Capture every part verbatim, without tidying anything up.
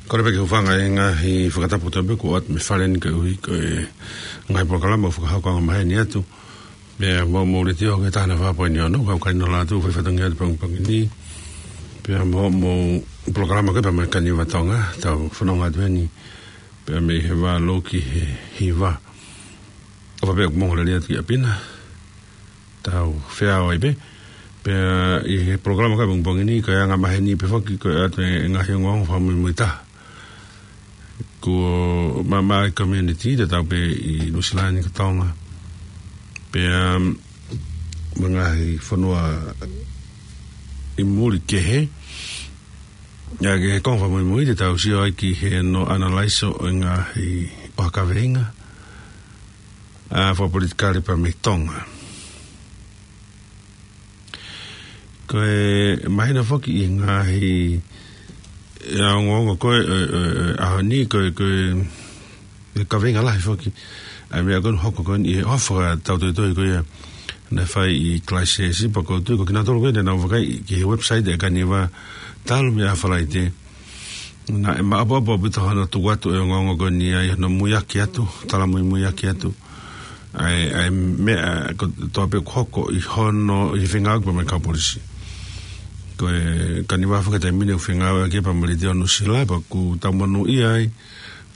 Kole pē ke u hūfanga he ngaahi fakatapu kotoa pē kuo ʻoatu mei fale ni koeʻuhi ko e ngaahi polokalama ʻoku fakahoko angamaheni atu. Pea mo, mo e letiō ko e taha nima fā poini ono, kau kai no lātu, fai fatongia atu pangipangi ni. Pea mo, mo e polokalama ko e pea mo e Kaniva Tonga, tau fononga atu heni. Pea mei he vā lōki he hiva. ʻOfa pē ʻoku mou lele atu ki ʻapi na. Tau feʻao ai pē. Pea ʻi he polokalama ko e pongipongi ni, ko e angamaheni pē foki ko e ʻoatu e ngaahi ongoongo fakamuimuitaha. Ko e maama e community, tatau pē ʻi Nuʻusila ni ko Tonga. Pea, um, mo e ngaahi fonua ʻi muli kehe. ʻA ia ko e konga fakamuimui te tau sio ai ki he no analaiso ʻo e ngaahi ʻohake kaveinga ʻa e fakapolitikale pea mei Tonga. Ko e mahino foki ʻi he ngaahi, ʻa e ongoongo ko e, ʻe, ʻe, ʻe, ʻaho ni ko e, ko e, ʻe kaveinga lahi foki. ʻA e meʻa ko eni hoko ko eni ʻi he ʻofa tau toitoi ko ia naʻe fai ʻi Christchurch, pea ʻoku ou tui ko kinautolu ko ē naʻa nau vakai ki he website ʻa e Kaniva talu mei ʻa Falaite. Naʻe maʻopoʻopo ʻaupito hono tuku atu e ongoongo ko eni ʻa ia hono muiaki atu, tala muimuiaki atu. ʻA e, ʻa e meʻa kotoa pē ʻoku hoko ʻi hono, ʻi he fengāueʻaki pea mo e kau polisi. Ko e Kaniva foki he taimi ni ʻoku fengāueʻaki pea mo e Letiō Nuʻusila, pea ʻoku tau monūʻia ai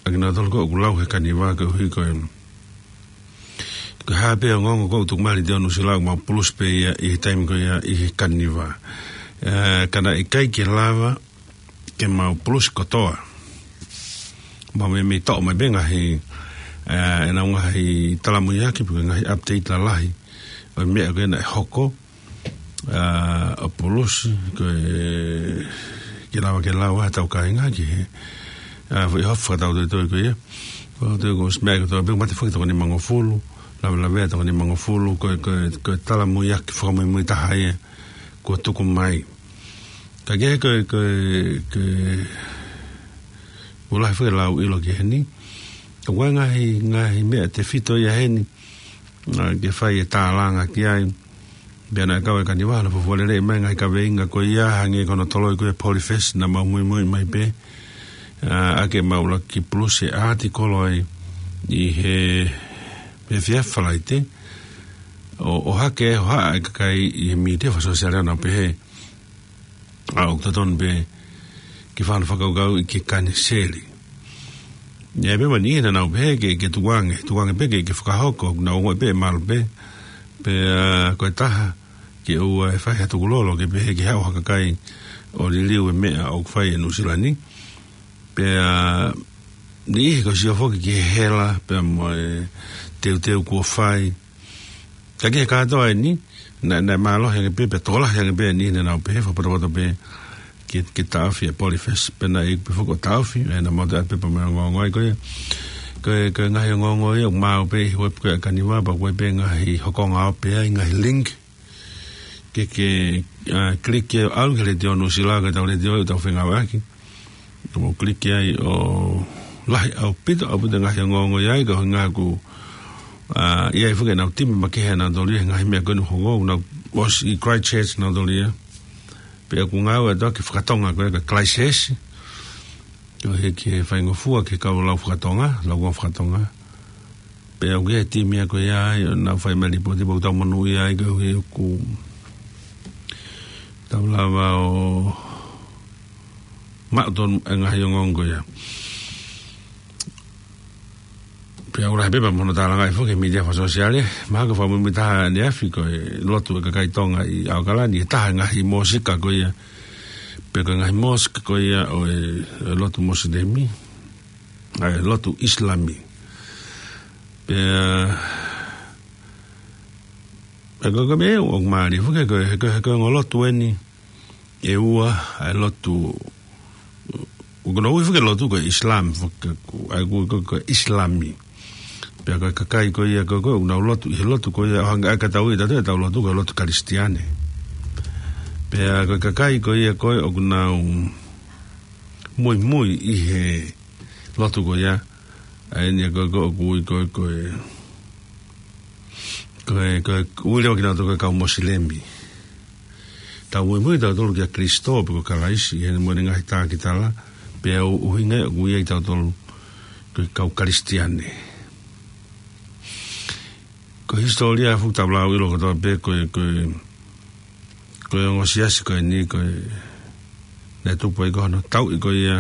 ʻa kinautolu ko ē ʻoku lau he Kaniva koeʻuhi ko e, ko e hā pē ongoongo ko ē ʻoku tuku mai Letiō Nuʻusila ʻoku mau pulusi pē ia ʻi he taimi ko ia ʻi he Kaniva. ʻE, ka naʻe ʻikai ke lava ke mau pulusi kotoa. Mau meimei toʻo mai pē ngaahi, ʻe, ʻenau ngaahi tala muiaki pe ko e ngaahi update lalahi ʻo e meʻa ko ē naʻe hoko, ʻa, ʻo pulusi, ko e, ke lava ke lau ʻe he tau kāinga ki he, ʻa, foʻi ʻofa tau toitoi ko ia. Ko e tau ko e meʻa kotoa pē, mate foki toko nimangofulu, lavelavea toko nimangofulu, ko e, ko e, ko e tala muiaki fakamuimuitaha ia kuo tuku mai. Ka ko e, ko e, ko e, ko e, ʻoku lahi foki e lau ʻilo ki heni. ʻOku ʻi ai e ngaahi, ngaahi meʻa tefito ia heni, ʻa, ke fai e tālanga ki ai. Pea naʻe kau e Kaniva hono fufua lelei mai e ngaahi kaveinga ko ia, hangē ko hono toloi ko e POLIFEST naʻa mau muimui mai pē. ʻA, ʻa ke mau lava ke pulusi e ʻātikolo ai ʻi he, he efiafi Falaite. ʻO, ʻohake e hohaʻa e kakai ʻi he mītia fakasōsiale ʻo nau pehē, ʻa, ʻoku totonu pē ke fai ha fakakaukauʻi ke kaniseli. ʻA ia pē mo e niʻihi naʻa nau pehē ke, ke tukuange, tukuange pē ke, ke fakahoko, ʻoku nau ongoʻi pē ʻe malu pē. Pea, ʻa, ko e taha ke ʻoua ʻe fai ha tukulolo ke pehē ke haʻu ha kakai ʻo liliu e meʻa ʻoku fai ʻe Nuʻusila ni. Pea, ʻa, niʻihi ko e sio foki ki he hela, pea mo e teuteu kuo fai. Ka ki he kātoa eni, naʻe, naʻe mālohi ange pē, pea tokolahi ange pē e niʻihi naʻa nau pehē fakapotopoto pē ke, ke taʻofi e POLIFEST, pea naʻe ʻi ai pē foki ʻo taʻofi, ʻa ia naʻa mau toe ʻai pē pea mo e ongoongo ai ko ia. Ko e, ko e ngaahi ongoongo ia ʻoku maau pē ʻi he web ko ē ʻa e Kaniva, pea ʻoku ʻi ai pē ngaahi hokonga ope ai, ngaahi link. Ke, ke, ʻa, click ia ʻo ʻalu ki he Letiō Nuʻusila, ko e tau letiō ʻoku tau fengāueʻaki. Ka mou click ai ʻo lahi ʻaupito, ʻaupito e ngaahi ongoongo ʻi ai, ko e ʻuhinga ʻoku, ʻa, ʻi ai foki ʻenau timi makehe ʻanautolu ia he ngaahi meʻa ko eni ʻoku hoko, ʻoku nau ʻosi ʻi Christchurch ʻanautolu ia. Pea ʻoku ngāue atu ʻaki e fakatonga ko ē ko e Christchurch. Ko e hiki he faingofua ki he kau lau fakatonga, laukonga fakatonga. Pea ʻoku ʻi ai e timi ia ko ia ai, ʻo nau fai mai e lipooti, pea ʻoku tau monūʻia ai koeʻuhi ʻoku tau lava ʻo maʻu tonu e ngaahi ongoongo ko ia. Pea ʻoku lahi pē pea mo hono tālangaʻi foki he mītia fakasōsiale, mahalo ko e fakamuimuitaha ʻaneafi ko e lotu e kakai Tonga ʻi ʻAokalani, ʻe taha e ngaahi mōsika ko ia, pe ko e ngaahi mosque ko ia ʻo e, e lotu Mosilemi, ʻa e lotu ʻIsilami. Pea, pea ko e, ko e meʻa ʻoku mālie foki ko e, ko e, ko e ongo lotu eni ʻe ua, ʻa e lotu, ʻoku nau ui foki e lotu ko e ʻIsilami, foki ko, ʻa ia ko, ko, ko e ʻIsilami. Pea ko e kakai ko ia ko, ko ē ʻoku nau lotu, ʻi he lotu ko ia, ʻo hangē ʻa e ka tau ui ʻe tautolu ʻetau lotu ko e lotu Kalisitiane. Pea ko e kakai ko ia ko ē ʻoku nau muimui ʻi he lotu ko ia, ʻa eni ko, ko, ʻoku ui ko, ko e, ko e, ko e, ui leva kinautolu ko e kau Mosilemi. Tau muimui tautolu kia Kilisitō pe ko Kalaisi, ʻi heʻene mo ʻene ngaahi tākitala, Pea ʻoku ʻuhinga ia ʻoku ʻi ai tautolu ko e kau Kalisitiane. Ko e hisitōlia ʻoku tau lau ʻilo kotoa pē ko e, ko e, ko e ongo siasi ko eni ko e naʻe tupu ai ko hono tauʻi ko ia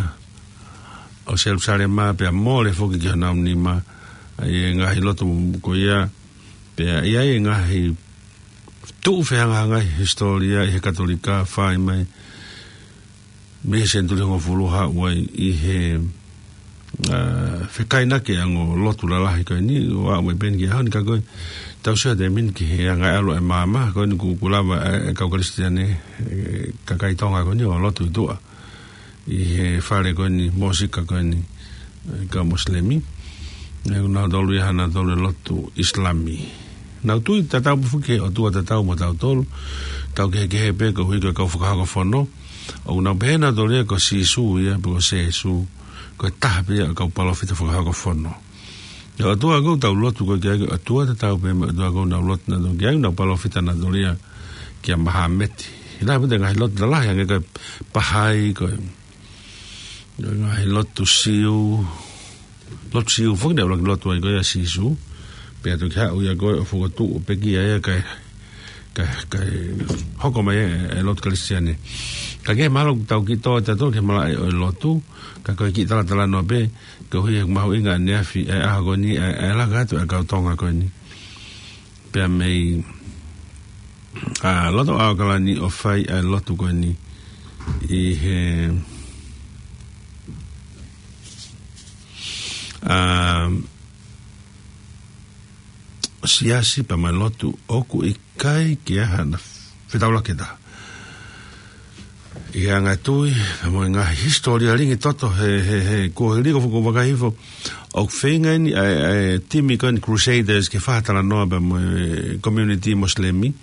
ʻo Selusalema pea mole foki ki honau nima ʻa e ngaahi lotu ko ia. Pea ʻi ai e ngaahi tuʻu fehangahangai hisitōlia ʻi he Katolika fai mai mei he senituli hongofulu haʻu ai ʻi he, ʻa, fekainaki ʻa e ongo lotu lalahi ko eni, ʻo aʻu mai pē eni ki he ʻaho ni ka ko e tau sio atu e mini ki he anga e ʻalu ʻa e maama, ko eni kuo, kuo lava e, e kau Kalisitiane, e, kakai Tonga ko eni ʻo lotu ʻi tuʻa ʻi he fale ko eni, mōsika ko eni, e, kau Mosilemi. ʻE, ko nautolu ia ha nautolu e lotu ʻIsilami. Nau tui tatau pē foki ki he ʻOtua tatau mo tautolu, tau kehekehe pē koeʻuhi ko e kau fakahoko fono, ʻoku nau pehē nautolu ia ko Sīsū ia, pe ko Sēsū, ko e taha pē ia ʻo e kau palōfita fakahoko fono. ʻA e ʻOtua ʻoku tau lotu ko ē ki ai, ko e ʻOtua tatau pē mo e ʻOtua ʻoku nau lotu nautolu ki ai, nau palōfita nautolu ia kia Mahameti. ʻI he ʻaho pē ʻi he ngaahi lotu lalahi, hangē ko e Pahai, ko e, ko e ngaahi lotu Siu, lotu Siu foki naʻe ʻuluaki lotu ai ko ia ʻa Sīsū. Pea toki haʻu ia ko ē ʻo fokotuʻu ʻo pekia ia kae, kae, kae hoko mai e, e lotu Kalisitiane. Ka ke mahalo ʻoku tau kiʻi tō atu ki he malaʻe ʻo e lotu, ka ko e kiʻi talatalanoa pē, koeʻuhi he ʻoku mahuʻinga ʻaneafi e ʻaho ko eni, e, e laka atu e kau Tonga ko eni. Pea mei, ʻa, loto ʻAokalani ʻo fai e lotu ko eni ʻi he, ʻa, siasi pea mo e lotu ʻoku ʻikai ke ʻi ai hano fetaulaki ʻe taha. ʻI he anga e tui, mo e ngaahi hisitōlia lingi toto he, he, he kuohili ko e fuku vakahifo. ʻOku feinga eni ʻa e, ʻa e timi ko eni Crusaders ke fai ha talanoa pea mo e community Mosilemi.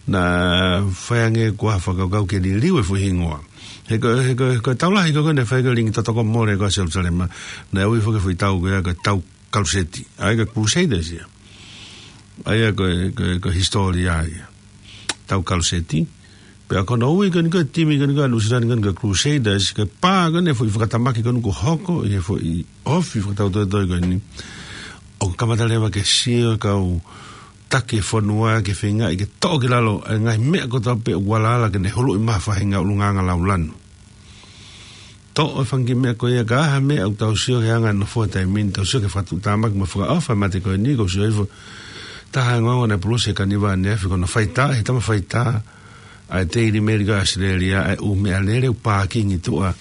Naʻe fai ange ko ha fakakaukau ke liliu e foʻi hingoa. He ko, he ko, he ko e tau lahi ko ē naʻe fai ko ē lingi toto ko ē mole ko ē Selusalema. Naʻe ui foki e foʻi tau ko ia ko e tau Kaluseti. ʻA ia ko e Crusaders ia. ʻA ia ko e, ko e, ko e hisitōlia ia. Tau Kaluseti. Pea ko hono ui ko eni ko e timi ko eni ko ē ʻa Nuʻusila ni ko eni ko e Crusaders, ko e pā ko eni e foʻi fakatamaki ko eni kuo hoko, ʻi he foʻi ofi fakatautoitoi ko eni. ʻOku kamata leva ke sio e kau taki e fonua ke feingaʻi ke toʻo ki lalo e ngaahi meʻa kotoa pē ʻoku alaala ke ne huluʻi mai ha faʻahinga ʻulungaanga laulanu. Toʻo e fanga kiʻi meʻa ko ia, ka ʻi ai ha meʻa ʻoku tau sio ki he anga e nofo he taimi ni, tau sio ki he fakatuʻutāmaki mo e fakaʻofa e mate ko eni, ʻoku ou sio hifo. Taha e ongoongo naʻe pulusi ʻe Kaniva ʻaneafi ko hono faitā, he tama faitā ʻa e Daily Mail ko ē ʻAositelēlia, ʻa e ʻū meʻalele ʻoku pākingi tuʻa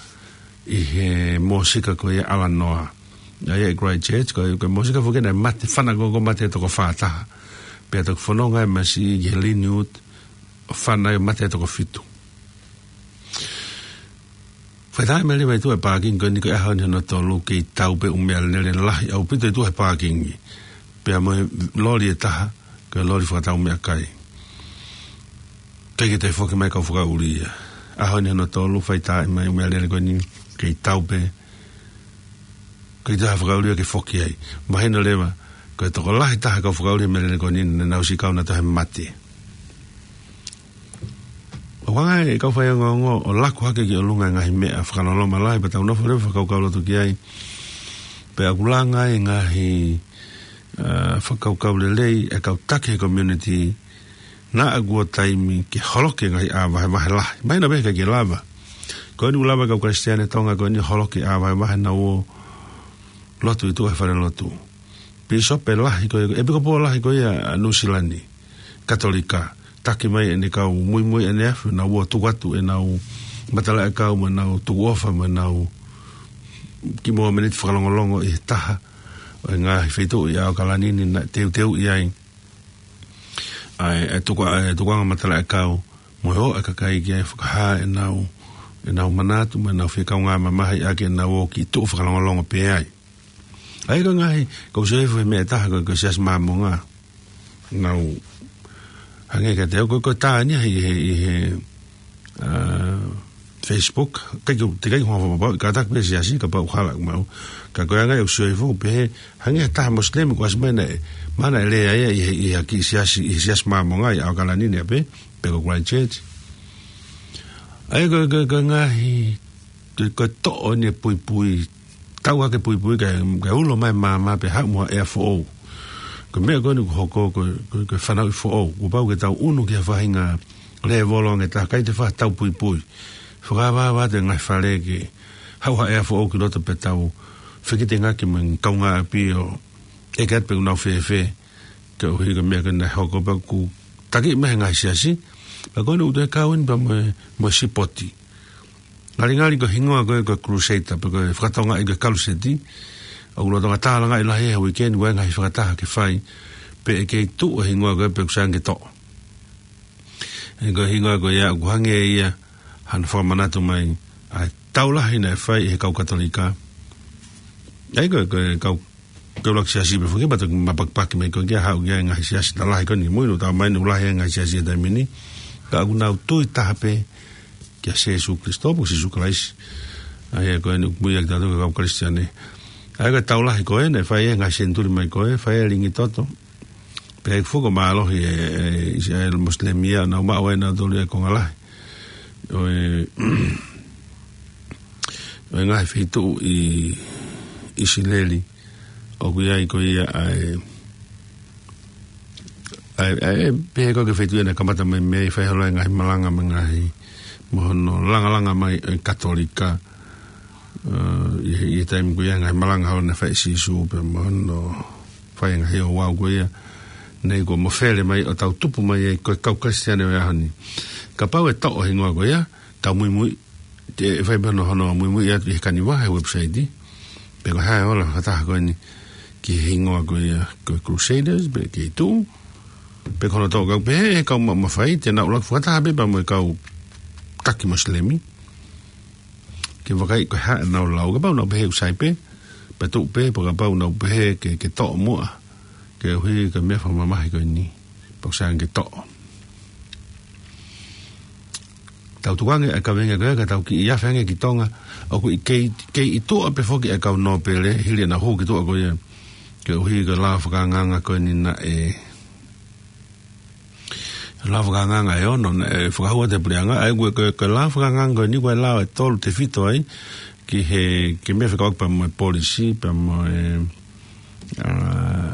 ʻi he mōsika ko ia ʻAlanoa. ʻA ia ʻi Christchurch, ko e, ko e mōsika foki naʻe mate, fana ko ē kuo mate toko fā taha. Pea toki fononga e masiʻi ki he Linwood, ʻo fana ai ʻo mate toko fitu. Faitā e meʻalele ʻi tuʻa he pākingi ko eni ko e ʻaho ni hono tolu kei tau pē ʻū meʻalele lahi ʻaupito ʻi tuʻa he pākingi. Pea mo e loli ʻe taha, ko e loli fakatau meʻakai. Kei ke toe foki mai kau fakaʻuli ia. ʻAho ni hono tolu faitā mai ʻū meʻalele ko eni kei tau pē. Kei toe ha fakaʻuli ia ke foki ai. Mahino leva, ko e tokolahi taha kau fakaʻuli he meʻalele ko eni naʻa nau siʻi kau nautolu he mate. ʻOku anga e kau faiongoongo ʻo laku hake ki ʻolunga e ngaahi meʻa fakaloloma lahi pea tau nofo leva fakakaukau loto ki ai. Pea ʻoku langa e ngaahi, ʻa, fakakaukau lelei e kau taki he community naʻa kuo taimi ke holoki e ngaahi ʻā vahevahe lahi. Mahino pē he ʻikai ke lava. Ko eni ʻoku lava e kau Kalisitiane Tonga ko eni holoki e ʻā vahevahe naʻa nau ō lotu ʻi tuʻa he fale lotu. Pīsope lahi ko ia, ʻepikopō lahi ko ia ʻa Nuʻusila ni, Katolika, taki mai ʻene kau muimui ʻaneafi, naʻa nau ō tuku atu ʻenau matalaʻiʻakau mo ʻenau tukuʻofa mo ʻenau kiʻi momeniti fakalongolongo ʻi he taha ʻo e ngaahi feituʻu ʻi ʻAokalani ni naʻe teuteuʻi ai ʻa e, ʻa e tuku, ʻa e tukuʻanga matalaʻiʻakau mo e ō ʻa e kakai ki ai ʻo fakahā ʻenau, ʻenau manatu mo ʻenau fie kaungā mamahi ʻaki ʻenau ō kiʻi tuʻu fakalongolongo pē ai. ʻA ia ko e ngaahi, ʻoku ou sio hifo he meʻa ʻe taha ko e, ko e Siasi Māmonga. Nau hangē kiate au ko e, ko e tā eni ʻi he, ʻi he, ʻa, Facebook, ʻikai ke, teʻeki ai ke u hanga ʻo fakapapauʻi, kātaki pē siasi, kapau ʻoku hala ʻeku maʻu. Ka ko e anga ia ʻoku ou sio hifo, pehē, hangē ha taha Mosilemi kuo ʻasi mai naʻe, mahalo naʻe lea ia ʻi he, ʻi he kiʻi siasi, ʻi he Siasi Māmonga ʻi ʻAokalani ni ʻapē, pe ko Christchurch. ʻA ia ko e, ko e, ko e ngaahi ko e, ko e toʻo eni e puipui, tau hake puipui kae, kae ulo mai māmā pea haʻu mo ha ʻea foʻou. Ko e meʻa ko eni kuo hoko, ko e, ko e, ko e fanauʻi foʻou. Kuo pau ke tau ʻunu ki ha faʻahinga lēvolo ange taha, ʻikai te faʻa tau puipui. Fakaava atu e ngaahi fale ke haʻu ha ʻea foʻou ki loto pea tau fekitengaki mo e kaungāʻapi ʻo ʻeke atu pe ʻoku nau fēfē. Koeʻuhi ko e meʻa ko ē naʻe hoko pea kuo taki mai he ngaahi siasi. Pea ko eni ʻoku toe kau eni pea mo e, mo e sipoti. Ngalingali ko e hingoa ko ē ko e Crusader, pe ko e fakatonga ʻi ko e kaluseti. ʻOku lolotonga tālangaʻi lahi he uike ni, ʻoku ʻi ai e ngaahi fakataha ke fai, pea ʻe kei tuʻu e hingoa ko ē pe ʻoku sai ange ke toʻo. He ko e hingoa ko ia, ʻoku hangē ia hano fakamanatu mai ʻa e tau lahi naʻe fai ʻe he kau Katolika. ʻA ia ko e, ko e kau ke ʻuluaki siasi pē foki, pea toki mapakipaki mai ko ē ke haʻu ki ai e ngaahi siasi lahi ko eni. Mui ʻoku tau mai ʻoku lahi e ngaahi siasi he taimi ni. Ka ʻoku nau tui taha pē kia Sīsū Kalaisi, pe ko Sīsū Kalaisi. ʻA ia ko eni ʻoku mui ʻaki tautolu ko e kau Kalisitiane. ʻA ia ko e tau lahi ko ē naʻe fai he ngaahi senituli mai ko ē, fai e lingi toto. Pea ʻi he fuko mālohi e, e, ʻi he Mosilemi ia, nau maʻu ai nautolu e konga lahi ʻo e, ʻo e ngaahi feituʻu ʻi ʻIsileli. ʻOku ʻi ai ko ia ʻa e, ʻa e, ʻa e, pehē ko e feituʻu ia naʻe kamata mai mei ai, fai holo e ngaahi malanga mo e ngaahi, mo hono langalanga mai e Katolika. ʻA, ʻi he, ʻi he taimi ko ia ngaahi malanga holo naʻe fai ʻe Sīsū pea mo hono fai e ngaahi ouau ko ia. Naʻe ʻikai ko e mafele mai ʻo tau tupu mai ai ko e kau Kalisitiane ʻo e ʻaho ni. Kapau ʻe toʻo e hingoa ko ia, tau muimui, te fai pē hono, hono muimui atu ʻi he kaniva he website. Pe ko e hā e ola fakataha ko eni ki he hingoa ko ia ko e Crusaders, pe kei tuʻu. Pe ko hono toʻo, kau pehē ʻe he kau ma-, mafai, te nau ʻuluaki fakataha pē pea mo e kau taki Mosilemi. Ke vakai ko e hā ʻenau lau, kapau nau pehē ʻoku sai pē, pea tuʻu pē, pea kapau nau pehē ke, ke toʻo muʻa, koeʻuhi ko e meʻa fakamamahi ko eni, pea ʻoku sai ange ke toʻo. Tau tukuange ʻa e kaveinga ko ia, ka tau kiʻi afe ange ki Tonga, ʻoku ʻi kei, kei ʻi tuʻa pē foki ʻa e kau nōpele, hili ʻenau hū ki tuʻa ko ia. Koeʻuhi ko e lao fakaangaanga ko eni naʻe, lao fakaangaanga ʻe ono naʻe fakahū atu ʻe he puleʻanga, ʻa ia ko e, ko e, ko e lao fakaangaanga ko eni ko e lao ʻe tolu tefito ai, ki he, ki he meʻa fekauʻaki pea mo e polisi, pea mo e, ʻa,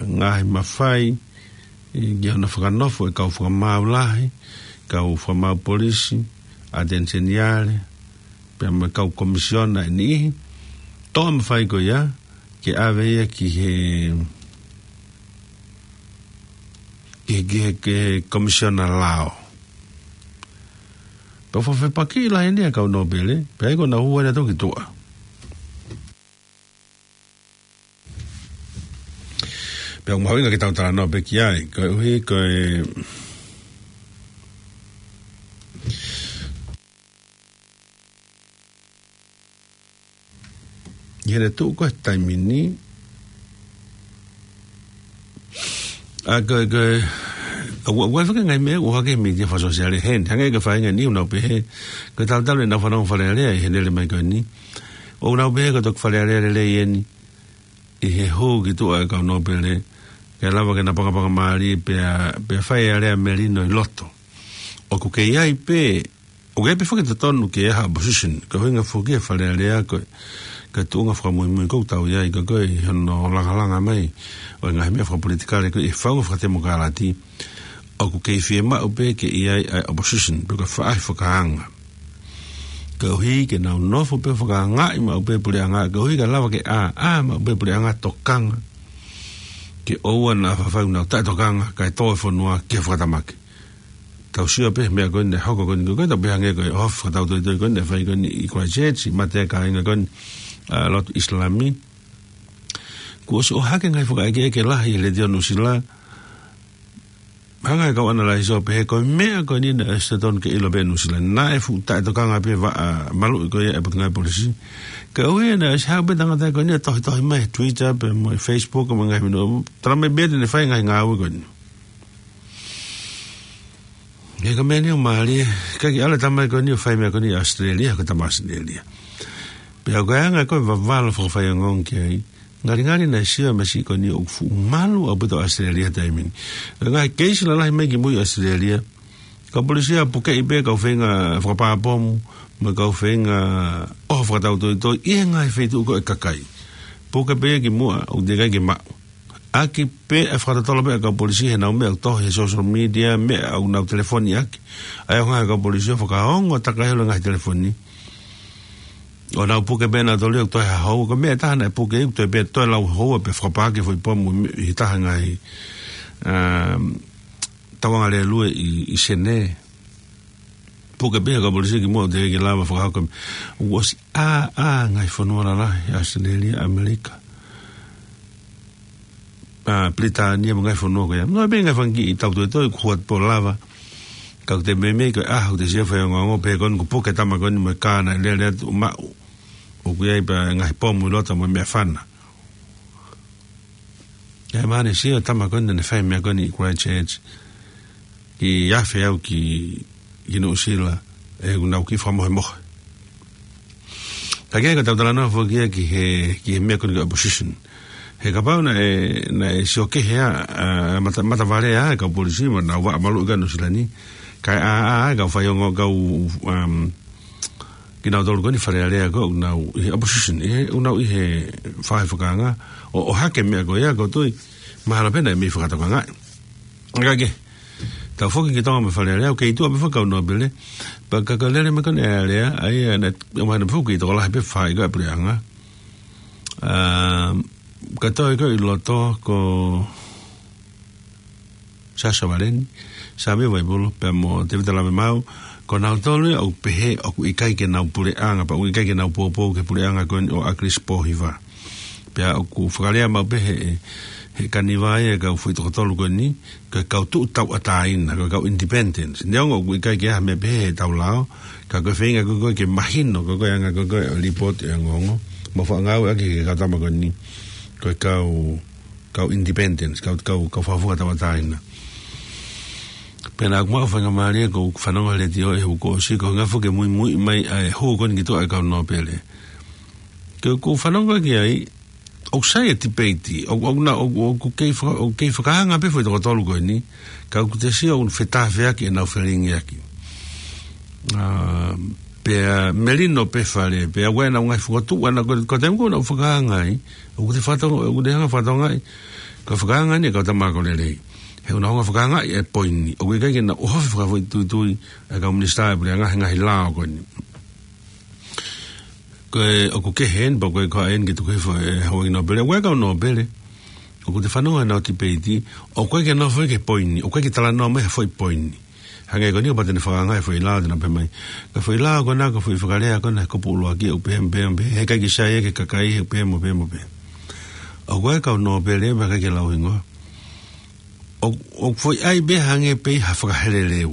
ngaahi mafai, ʻi, ki hono fakanofo e kau fakamaau lahi, kau fakamaau polisi, ʻAteni Seniale, pea mo e kau komisiona ʻe niʻihi, toʻo e mafai ko ia, ke ʻave ia ki he, ki he, ki he, ki he komisiona lao. Pea fakafepakiʻi lahi eni ʻa e kau nōpele, pea ʻi ai ko ʻenau hū ʻenau toki tuʻa. Pea ʻoku mahuʻinga ke tau talanoa pē ki ai, koeʻuhi ko e, ʻi heʻene tuʻu ko ē he taimi ni, ʻa ko e, ko e, ʻa ua, ua faka ngaahi meʻa, ua ke mītia fakasōsiale heni, hangē ko e faʻahinga ni ʻoku nau pehē, ko e tautau ʻenau fanongo Fale Alea ʻi he lele mai ko eni. ʻOku nau pehē ko e toki Fale Alea lelei eni, ʻi he hū ki tuʻa e kau nōpele, ke lava ke na pakapaka mālie pea, pea fai e alea melino ʻi loto. ʻOku kei ʻi ai pē, ʻoku ʻi ai pē foki e totonu ke ʻi ai ha opposition, ko e ʻuhinga foki e Fale Alea ko e, ko e tuʻunga fakamuimui ʻoku tau ʻi ai, ko e, ko e ʻi hono langalanga mai ʻo e ngaahi meʻa fakapolitikale ko e ʻi he faʻunga fakatemokalati, ʻoku kei fiemaʻu pē ke ʻi ai ʻa e opposition, pe ko e faʻahi fakaanga. Koeʻuhi ke nau nofo pē fakaangaʻi maʻu pē puleʻanga, koeʻuhi ke lava ke ʻā, ʻā maʻu pē puleʻanga tokanga. Ke ʻoua naʻa faifai ʻenau taʻetokanga, kae tō e fonua ki he fakatamaki. Tau sio pē meʻa ko eni naʻe hoko ko eni ko ē, tau pehē ange ko e ʻohofi fakatautoitoi ko eni naʻe fai ko eni ʻi Christchurch, ʻi he mate ʻa e kāinga ko eni, ʻa, lotu ʻIsilami. Kuo ʻosi ʻohake ngaahi fakaʻekeʻeke lahi ʻi he Letiō Nuʻusila. Hanga ʻe he kau ʻanalaiso ʻo pehē ko e meʻa ko eni naʻe ʻosi totonu ke ʻilo pē ʻe Nuʻusila. Naʻe fuʻu taʻetokanga pē vaʻa maluʻi ko ia ʻe he Potungāue Polisi. Koeʻuhi naʻe ʻosi haʻu pē tangata ko eni ʻo tohitohi mai he Twitter pea mo e Facebook mo e ngaahi meʻa. Tala mai pē te ne fai e ngaahi ngāue ko eni. He ko e meʻa ni ʻoku mālie, ka ke ʻalu e tama ko eni ʻo fai e meʻa ko eni ʻi ʻAositelēlia, ko e tama ʻAositelēlia. Pea ko e anga ko e vavalo fakafaiongoongo ki ai. Ngalingali naʻe sio e masiʻi ko eni ʻoku fuʻu malu ʻaupito ʻAositelēlia he taimi ni. Ko e ngaahi keisi lalahi mai kimui ʻAositelēlia, Kau polisi ʻoku pukeʻi pē kau feinga fakapā pomu, mo e kau feinga ʻoho fakatautoitoi ʻi he ngaahi feituʻu ko ē ʻa e kakai. Puke pē ki muʻa, ʻoku teʻeki ai ke maʻu. ʻAki pē ʻa e fakatotolo pē ʻa e kau polisi he ʻenau meʻa ʻoku tohi he social media, meʻa ʻoku nau telefoni ʻaki. ʻA ia ʻoku hanga ʻe he kau polisi ʻo fakaongo takai holo e ngaahi telefoni. ʻO nau puke pē nautolu ia ʻoku toe ha houa, ko e meʻa ʻe taha naʻe puke ʻoku toe pē toe lau houa pē fakapaaki e foʻi pomu ʻi he taha e ngaahi, um, tauangalelue ʻi, ʻi Senē. Puke pē ʻe he kau polisi ki muʻa ʻoku teʻeki lava fakahoko. ʻOku ʻosi ʻā, ʻā e ngaahi fonua lalahi, ʻAositelēlia, ʻAmelika, ʻa Pilitānia mo e ngaahi fonua ko ia. Mo e pē ngaahi fanga kiʻi tautoitoi kuo hua pē ʻo lava. Ka ʻoku te meimei ko e ʻaho ʻoku te sio faiongoongo pē ko eni kuo puke e tama ko eni mo e kā naʻe lele atu maʻu. ʻOku ʻi ai pē ngaahi pomu ʻi loto mo e meʻafana. ʻE mahalo ne sio e tama ko eni naʻa ne fai e meʻa ko eni ʻi Christchurch. Kiʻi afe au ki, ki Nuʻusila, ʻe ʻoku nau kiʻi fakamohemohe. Ka ke ka tau talanoa foki ia ki he, ki he meʻa ko eni ko e opposition. He kapau naʻe, naʻe sio kehe ʻa, ʻa, mata, matavale ʻa e kau polisi mo ʻenau vaʻa maluʻi ʻa Nuʻusila ni. Kae ʻā, ʻā, ʻā e kau faiongoongo kau, um, kinautolu ko eni Fale Alea ko ē ʻoku nau ʻi he opposition, ʻi he, ʻoku nau ʻi he faʻahi fakaanga, ʻo, ʻohake e meʻa ko ia ʻoku ou tui, mahalo pē naʻe mei fakatokangaʻi. Ka ke, tau foki ki Tonga mo Fale Alea, ʻoku kei tuʻa pē foki e kau nōpele, pea ka ka lele mai ko eni ʻa Alea, ʻa ia naʻe, ʻomai naʻe foki tokolahi pē fai ko e puleʻanga. Um, ka toe ko ē ʻi loto ko Sasa Valeni, Sāmio Vaipolo, pea mo Tēvita Lavemau, ko nautolu ia ʻoku pehē ʻoku ʻikai ke nau puleʻanga, pea ʻoku ʻikai ke nau poupou ki he puleʻanga ko eni ʻo ʻAkilisi Pōhiva. Pea ʻoku fakalea maʻu pē he, he kaniva ia e kau foʻi toko tolu ko eni, ko e kau tuʻu tauʻatāina, ko e kau independents. Neongo ʻoku ʻikai ke ʻi ai ha meʻa pehē he tau lao, ka ko e feinga ko ē ke mahino, ko e anga ko ē ʻo e lipooti ʻa e ongoongo. Mo fakangāueʻaki ʻe he kau tama ko eni, ko e kau kau independents, kau, kau, kau fakafofonga tauʻatāina. Pea naʻa ku maʻu faingamālie ko ʻeku fanongo he letiō he uike kuo ʻosi, ko e ngaahi foʻi muimui mai ʻa e hū ko eni ki tuʻa e kau nōpele. Ke u, ʻoku ou fanongo ki ai, ʻoku sai e tipeiti, ʻoku, ʻoku na, ʻoku, ʻoku kei faka-, ʻoku kei fakaanga pē foʻi toko tolu ko eni, ka ʻoku te sio ʻoku fetāfeaki ʻenau felingiaki. ʻA, pea melino pē fale, pea ʻoku ʻi ai ʻenau ngaahi fokotuʻu ʻana ko, ko e taimi ko ē ʻoku nau fakaanga ai, ʻoku te fakatonga, ʻoku te hanga fakatonga ai, ko e fakaanga ni e kau tama ako lelei. He ʻoku nau hanga fakaanga ai e poini, ʻoku ʻikai ke nau ʻohofi fakafoʻituitui e kau minisitā e puleʻanga he ngaahi lao ko eni. Ko e, ʻoku kehe eni, pea ko e ko eni ke tuku hifo e houʻeiki nōpele, ʻoku ʻi ai e kau nōpele. ʻOku te fanongo he ʻenau tipeiti, ʻoku ʻikai ke nau foʻi ke poini, ʻoku ʻikai ke talanoa mai ha foʻi poini. Hangē ko eni ʻoku pau te ne fakaanga e foʻi lao te nau pehē mai. Ko e foʻi lao ko ena, ko e foʻi fakalea ko ena, ko e kupu ʻuluaki, ʻoku pehē, pehē, pehē, he ʻikai ke sai ia ke kakai, he pehē mo pehē mo pehē. ʻOku ʻi ai e kau nōpele, pea ʻikai ke lau hingoa. ʻOku, ʻoku foʻi ʻai pē hangē pē ha fakaheleleu.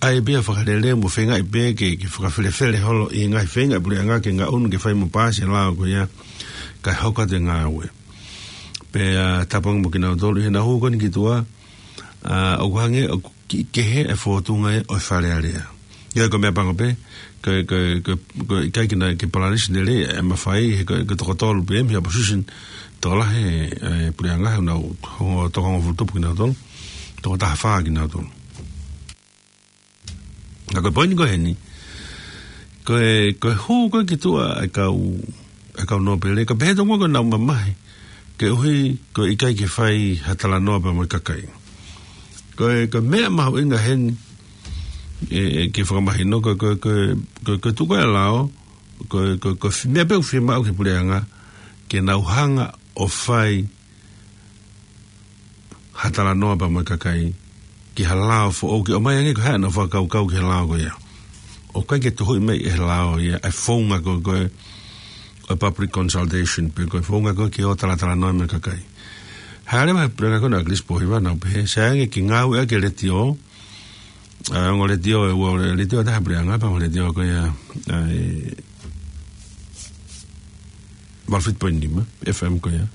ʻAi pē ha fakaheleleu mo feingaʻi pē ke, ke fakafelefele holo ʻi he ngaahi feinga e puleʻanga ke ngaʻunu ke fai mo paasi e lao ko ia kae hoko atu e ngāue. Pea tāpuaki mo kinautolu ʻi heʻenau hū ko eni ki tuʻa, ʻa, ʻoku hangē ʻoku kiʻi kehe e fōtunga ia ʻo e Fale Alea. ʻIo, ko e meʻapango pē, ko e, ko e, ko e, ko e ʻikai ke na, ke palanisi lelei e mafai, he ko e, ko e toko tolu pē mei he opposition, tokolahi e, e puleʻanga, ʻoku nau, ʻoku toko hongofulu tupu kinautolu, toko taha fā kinautolu. Ka ko e poini ko eni, ko e, ko e hū ko ē ki tuʻa e kau, e kau nōpele, ka pehē tonu ko ʻenau mamahi, koeʻuhi ko e ʻikai ke fai ha talanoa pea mo e kakai. Ko e, ko e meʻa mahuʻinga heni, ʻe, ʻe ke fakamahino, ko e, ko e, ko e, ko e, ko e tuʻu ko ē e lao, ko e, ko e, ko e fi-, meʻa pē ʻoku fiemaʻu ki he puleʻanga, ke nau hanga ʻo fai ha talanoa pea mo e kakai ki ha lao foʻou ke ʻomai ange ko e hā ʻenau fakakaukau ki he lao ko ia. ʻOku ʻikai ke tuhuʻi mai ʻe he lao ia e founga ko ē, ko ē ʻo e public consultation, pe ko e founga ko ē ke ō talatalanoa mo e kakai. Hā leva he puleʻanga ko ena ʻa ʻAkilisi Pōhiva naʻa ku pehē, sai ange ke ngāueʻaki e letiō, ʻa, ongo letiō ʻe ua, letiō ʻe taha puleʻanga, pea mo e letiō ko ia, ʻa, e, valu fitu poini nima, F M ko ia.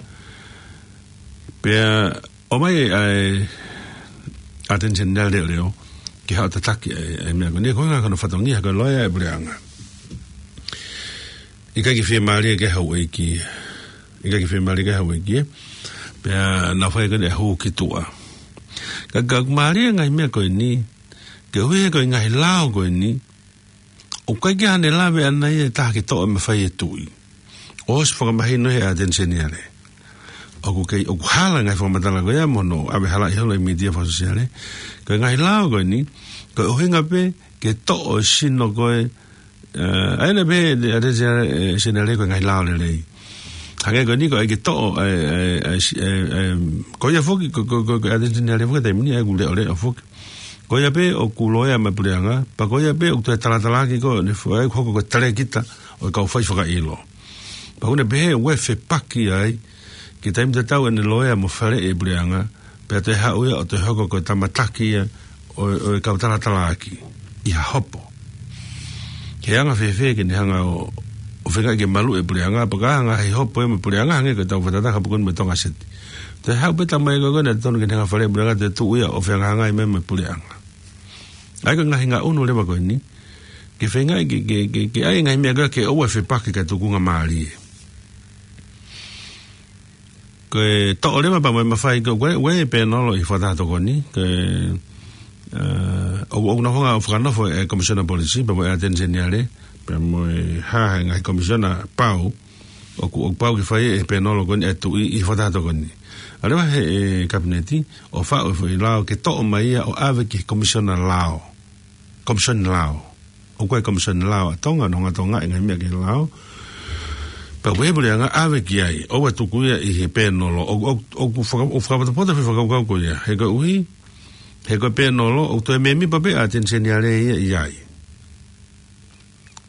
Pea ʻomai ʻa e Attorney General leʻoleʻo ke haʻu ʻo tataki ʻa e, ʻa e meʻa ko eni, ko e ʻuhinga ko hono fatongia ko e loea e puleʻanga. ʻIkai ke fiemālie ki ai e houʻeiki. ʻIkai ke fiemālie ki ai e houʻeiki. Pea naʻa ku fai ko eni e hū ki tuʻa. Ka, ka mālie e ngaahi meʻa ko eni, Koeʻuhi he ko e ngaahi lao ko eni, ʻoku ʻikai ke ʻi ai haʻane lave ʻana ia ʻe taha ke toʻo e mafai ʻa e tuʻi. ʻOsi fakamahino he ʻAteni Seniale. ʻOku kei, ʻoku hala e ngaahi fakamatala ko ia mo hono ʻave halaʻi holo ʻi he mītia fakasōsiale. Ko e ngaahi lao ko eni, ko e ʻuhinga pē ke toʻo e sino ko ē, ʻa ia naʻe pehē ʻe he ʻAteni Seniale, ʻe, Seniale ko e ngaahi lao lelei. Hangē ko eni ko e ʻai ke toʻo, ʻe, ʻe, ʻe, ʻe, ʻe, ko ia foki, ko, ko, ko, ko e ʻAteni Seniale foki taimi ni ʻoku leʻoleʻo foki. Ko ia pē ʻoku loea mai e puleʻanga, pea ko ia pē ʻoku toe talatalaaki ko eni ʻoku hoko ko e talēkita ʻo e kau fai fakaʻilo. Pea ʻoku ne pehē ʻoku fepaki ai, ki he taimi tatau ʻene loea mo faleʻi e puleʻanga, pea toe haʻu ia ʻo toe hoko ko e tama taki ia ʻo, ʻo e kau talatalaaki ʻi ha hopo. Ke anga fēfē ke ne hanga ʻo, ʻo feingaʻi ke maluʻi e puleʻanga, pea ka hanga ʻe he hopo ia mo e puleʻanga, hangē ko ʻetau fakatātā kapau ko eni mo Tonga Seti. Toe haʻu pē tama ia ko ē naʻe totonu ke ne hanga faleʻi e puleʻanga, toe tuʻu ia ʻo fehangahangai mai mo e puleʻanga. ʻA ia ko e ngaahi ngaʻunu leva ko eni, ke feingaʻi ke, ke, ke, ke ʻai e ngaahi meʻa ko ē ke ʻoua ʻe fepaki kae tukunga mālie. Ko e toʻo leva pea mo e mafai ko ē, ʻoku ʻi ai e pēnolo ʻi he Fakataha Tokoni, ko e, ʻa, ʻoku, ʻoku nau hanga ʻo fakanofo e Komisiona Polisi, pea mo e ʻAteni Seniale, pea mo e hā he ngaahi komisiona pau, ʻoku, ʻoku pau ke fai ʻe he pēnolo ko eni ʻa e tuʻi ʻi he Fakataha Tokoni. ʻAlu leva he, ʻe, Kapineti, ʻo faʻu e foʻi lao ke toʻo mai ia ʻo ʻave ki he Komisiona Lao. Komisiona Lao. ʻOku ʻi ai e Komisiona Lao ʻa Tonga, ʻoku nau hanga ʻo tokangaʻi e ngaahi meʻa ki he lao. Pea ʻoku pehē e puleʻanga ʻave ki ai, ʻoua ʻe tuku ia ʻi he pēnolo, ʻo, ʻo, ʻoku faka-, ʻoku fakapotopoto e foʻi fakakaukau ko ia. He koeʻuhi, he ko e pēnolo, ʻoku toe mēmipa pē ʻa e ʻAteni Seniale ia ʻi ai.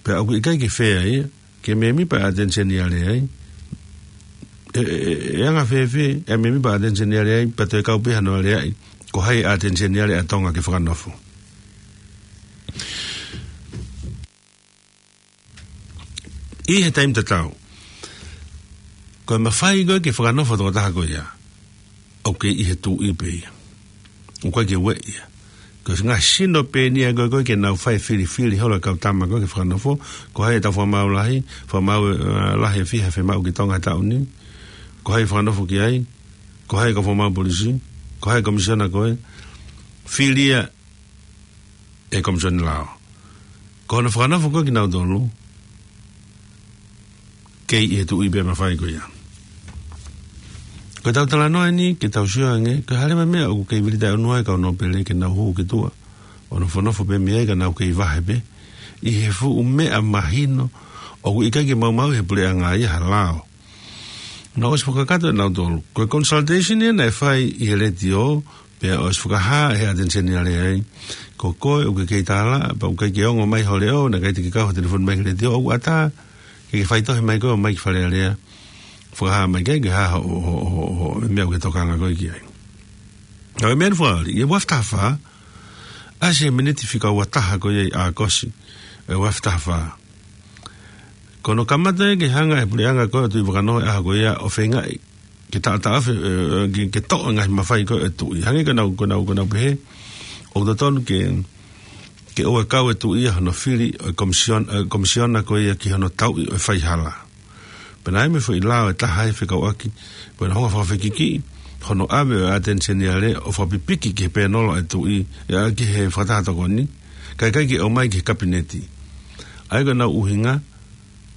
Pea ʻoku ʻikai ke fea ia, ke mēmipa e ʻAteni Seniale ai. ʻE, ʻe, ʻe, ʻe anga fēfē, ʻe mēmipa e ʻAteni Seniale ai, pea toe kau pē hano aleaʻi, ko hai e ʻAteni Seniale ʻa Tonga ke fakanofo. ʻI he taimi tatau, ko e mafai ko ē ke fakanofo e tokotaha ko ia, ʻoku kei ʻi he tuʻi pē ia. ʻOku ʻikai ke ueʻi ia. Ko e ngaahi sino pē eni ia ko ē ko ē ke nau fai e filifili holo e kau tama ko ē ke fakanofo, ko hai ʻetau fakamaau lahi, fakamaau, ʻa, lahi ʻe fiha ʻe fiemaʻu ki Tonga he taʻu ni, ko hai ʻe fakanofo ki ai, ko hai e kau fakamaau polisi, ko hai e komisiona ko ē, fili ia ʻe he Komisiona Lao. Ko hono fakanofo ko ē kinautolu, kei ʻi he tuʻi pē e mafai ko ia. Ko ʻetau talanoa eni, ke tau sio ange, ko e hā leva e meʻa ʻoku kei vili taʻeʻunua ai e kau nōpele ke nau hū ki tuʻa ʻo nofonofo pē mei ai ka nau kei vahe pē ʻi he fuʻu meʻa mahino ʻoku ʻikai ke maumauʻi ʻe he puleʻanga ia ha lao. Naʻe ʻosi fakakakato ʻe nautolu. Ko e consultation ia naʻe fai ʻi he letiō, pea ʻosi fakahā ʻe he ʻAteni Seniale ai, ko koe ʻoku ke kei tālaʻa, pea ʻoku ʻikai ke ongo mai ho leʻo, naʻe ʻikai te ke kau he telefoni mai ki he letiō, ʻoku ʻatā ke ke faitohi mai koe ʻo ʻomai ki Fale Alea, fakahā mai ki ai ke hā ho, ho, ho, ho, e meʻa ʻoku ke tokanga koe ki ai. Ka ko e meʻa ʻeni fakaʻoli, ʻi he ua afe taha fā, ʻasi he miniti fika ua taha ko ia ʻi ʻAokosi, ʻi he ua afe taha fā. Ko hono kamata ia ke hanga ʻe he puleʻanga ko ē ʻo Tuʻivakanō he ʻaho ko ia ʻo feingaʻi ke taʻataʻa afe, ʻe, ʻe, ke, ke toʻo e ngaahi mafai ko ē ʻo e tuʻi. Hangē ko ʻenau, ko ʻenau, ko ʻenau pehē, ʻoku totonu ke, ke ʻoua ʻe kau e tuʻi ia hono fili ʻo e komisiona, ʻe, komisiona ko ia ki hono tauʻi ʻo e faihala. Pea naʻe ʻi ai mo e foʻi lao ʻe taha ʻe fekauʻaki, pea naʻe hanga ʻo fakafikifikiʻi hono ʻave ʻo e ʻAteni Seniale ʻo fakapipiki ki he pēnolo ʻo e tuʻi, ʻe, ki he Fakataha Tokoni, kae ʻikai ke ʻomai ki he Kapineti. ʻA ia ko ʻenau ʻuhinga,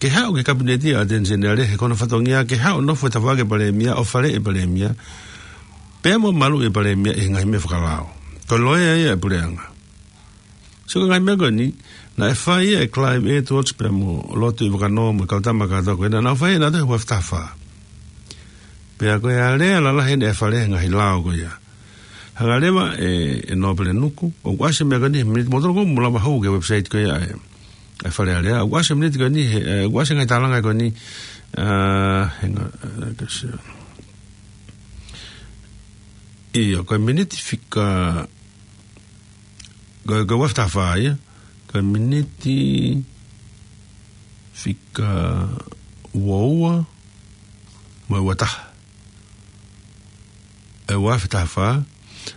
ke haʻu ki he Kapineti ʻa e ʻAteni Seniale, he ko hono fatongia ke haʻu ʻo nofo he tafaʻaki ʻo e Palēmia, ʻo faleʻi e Palēmia, pea mo maluʻi e Palēmia ʻi he ngaahi meʻa fakalao. Ko e loea ia ʻa e puleʻanga. So ko e ngaahi meʻa ko eni, naʻe fai ia ʻe Clive Edwards pea mo Lord Tuʻivakanō mo e kau tama kātoa ko ē, naʻa nau fai ʻe nautolu he ua afe taha fā. Pea ko e alea lalahi eni ʻa e Fale he ngaahi lao ko ia. Hanga leva ʻe, ʻe Nōpele Nuku, ʻoku ʻasi e meʻa ko eni he miniti, mou tokanga mo lava hū ki he website ko ia ʻa e, ʻa e Fale Alea, ʻoku ʻasi e miniti ko eni he, ʻe, ʻoku ʻasi e ngaahi tālanga ko eni, ʻa, hang on, ʻa, ka se. ʻIo, ko e miniti fika, ko, ko e ua afe taha fā ia, ko e miniti fika ua ua, mo e ua taha. ʻI he ua afe taha fā,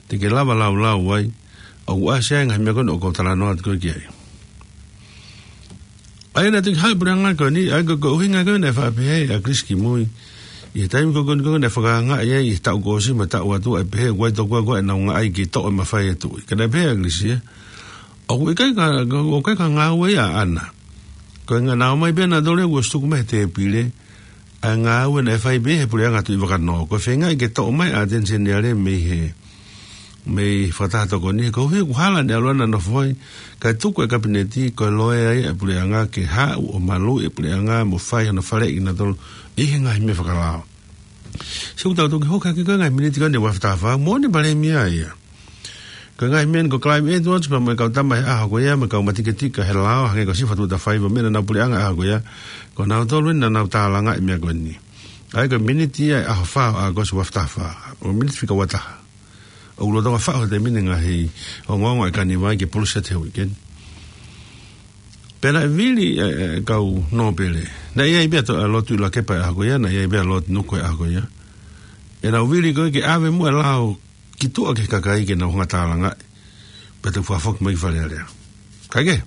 te ke lava laulau ai, ʻoku ʻasi ai e ngaahi meʻa ko eni ʻoku ou talanoa atu ko ē ki ai. ʻA ia naʻe toki haʻu e puleʻanga ko eni, ʻa ia ko, ko e ʻuhinga ko ē naʻe faʻa pehē ʻe ʻAkilisi Kimui, ʻi he taimi ko ē ko eni ko ē naʻe fakaangaʻi ai ʻi he taʻu kuo ʻosi mo e taʻu atu ʻa e pehē, ʻoku ʻi ai tokua ko ē ʻenau ngaahi kei toʻo e mafai ʻo e tuʻi. Ka naʻe pehē ʻe ʻAkilisi ia, ʻOku ʻikai ka, ʻoku ʻikai ko e ngāue ia ʻaʻana. Ko e ngāue naʻe ʻomai pē naʻa tole ʻoku ʻosi tuku mai he tēpile ʻa e ngāue naʻe fai pē he puleʻanga Tuʻivakanō. Ko e feingaʻi ke toʻo mai ʻa ʻAteni Seniale mei he, mei he fakataha tokoni, he ko e ʻuhi ʻoku hala ʻene ʻalu ʻo nofo ai, kae tuku ʻe he Kapineti ko e loea ia ʻa e puleʻanga ke haʻu ʻo maluʻi e puleʻanga mo fai hono faleʻi kinautolu ʻi he ngaahi meʻa fakalao. Sio, ʻoku tau toki hoko hake ko e ngaahi miniti ko eni ʻa e ua afe taha fā, moʻoni Palēmia ia. Ko e ngaahi meʻa ni ko e Climate Watch pea mo e kau tama he ʻaho ko ia, mo e kau matiketika he lao, hangē ko Sifa Tuʻatafaiva mo e naʻa nau puleʻanga he ʻaho ko ia, ko nautolu eni naʻa nau tālangaʻi e meʻa ko eni. ʻA ia ko e miniti ia ʻe ʻaho fā ʻo ʻAokosi ua afe taha fā. ʻO miniti fika ua taha. ʻOku lolotonga faʻu he taimi ni e ngaahi ongoongo ʻa e Kaniva ke pulu seti he uike ni. Pea naʻe vili e, e kau nōpele. Naʻe ʻi ai pē ʻa Lord Tuʻilakepa he ʻaho ko ia, naʻe ʻi ai pē ʻa Lord Nuku he ʻaho ko ia. ʻEnau vili ko ē ke ʻave muʻa e lao ki tuʻa ki he kakai ke nau hanga ʻo tālangaʻi. Pea toe fakafoki mai ki Fale Alea. Kae kehe,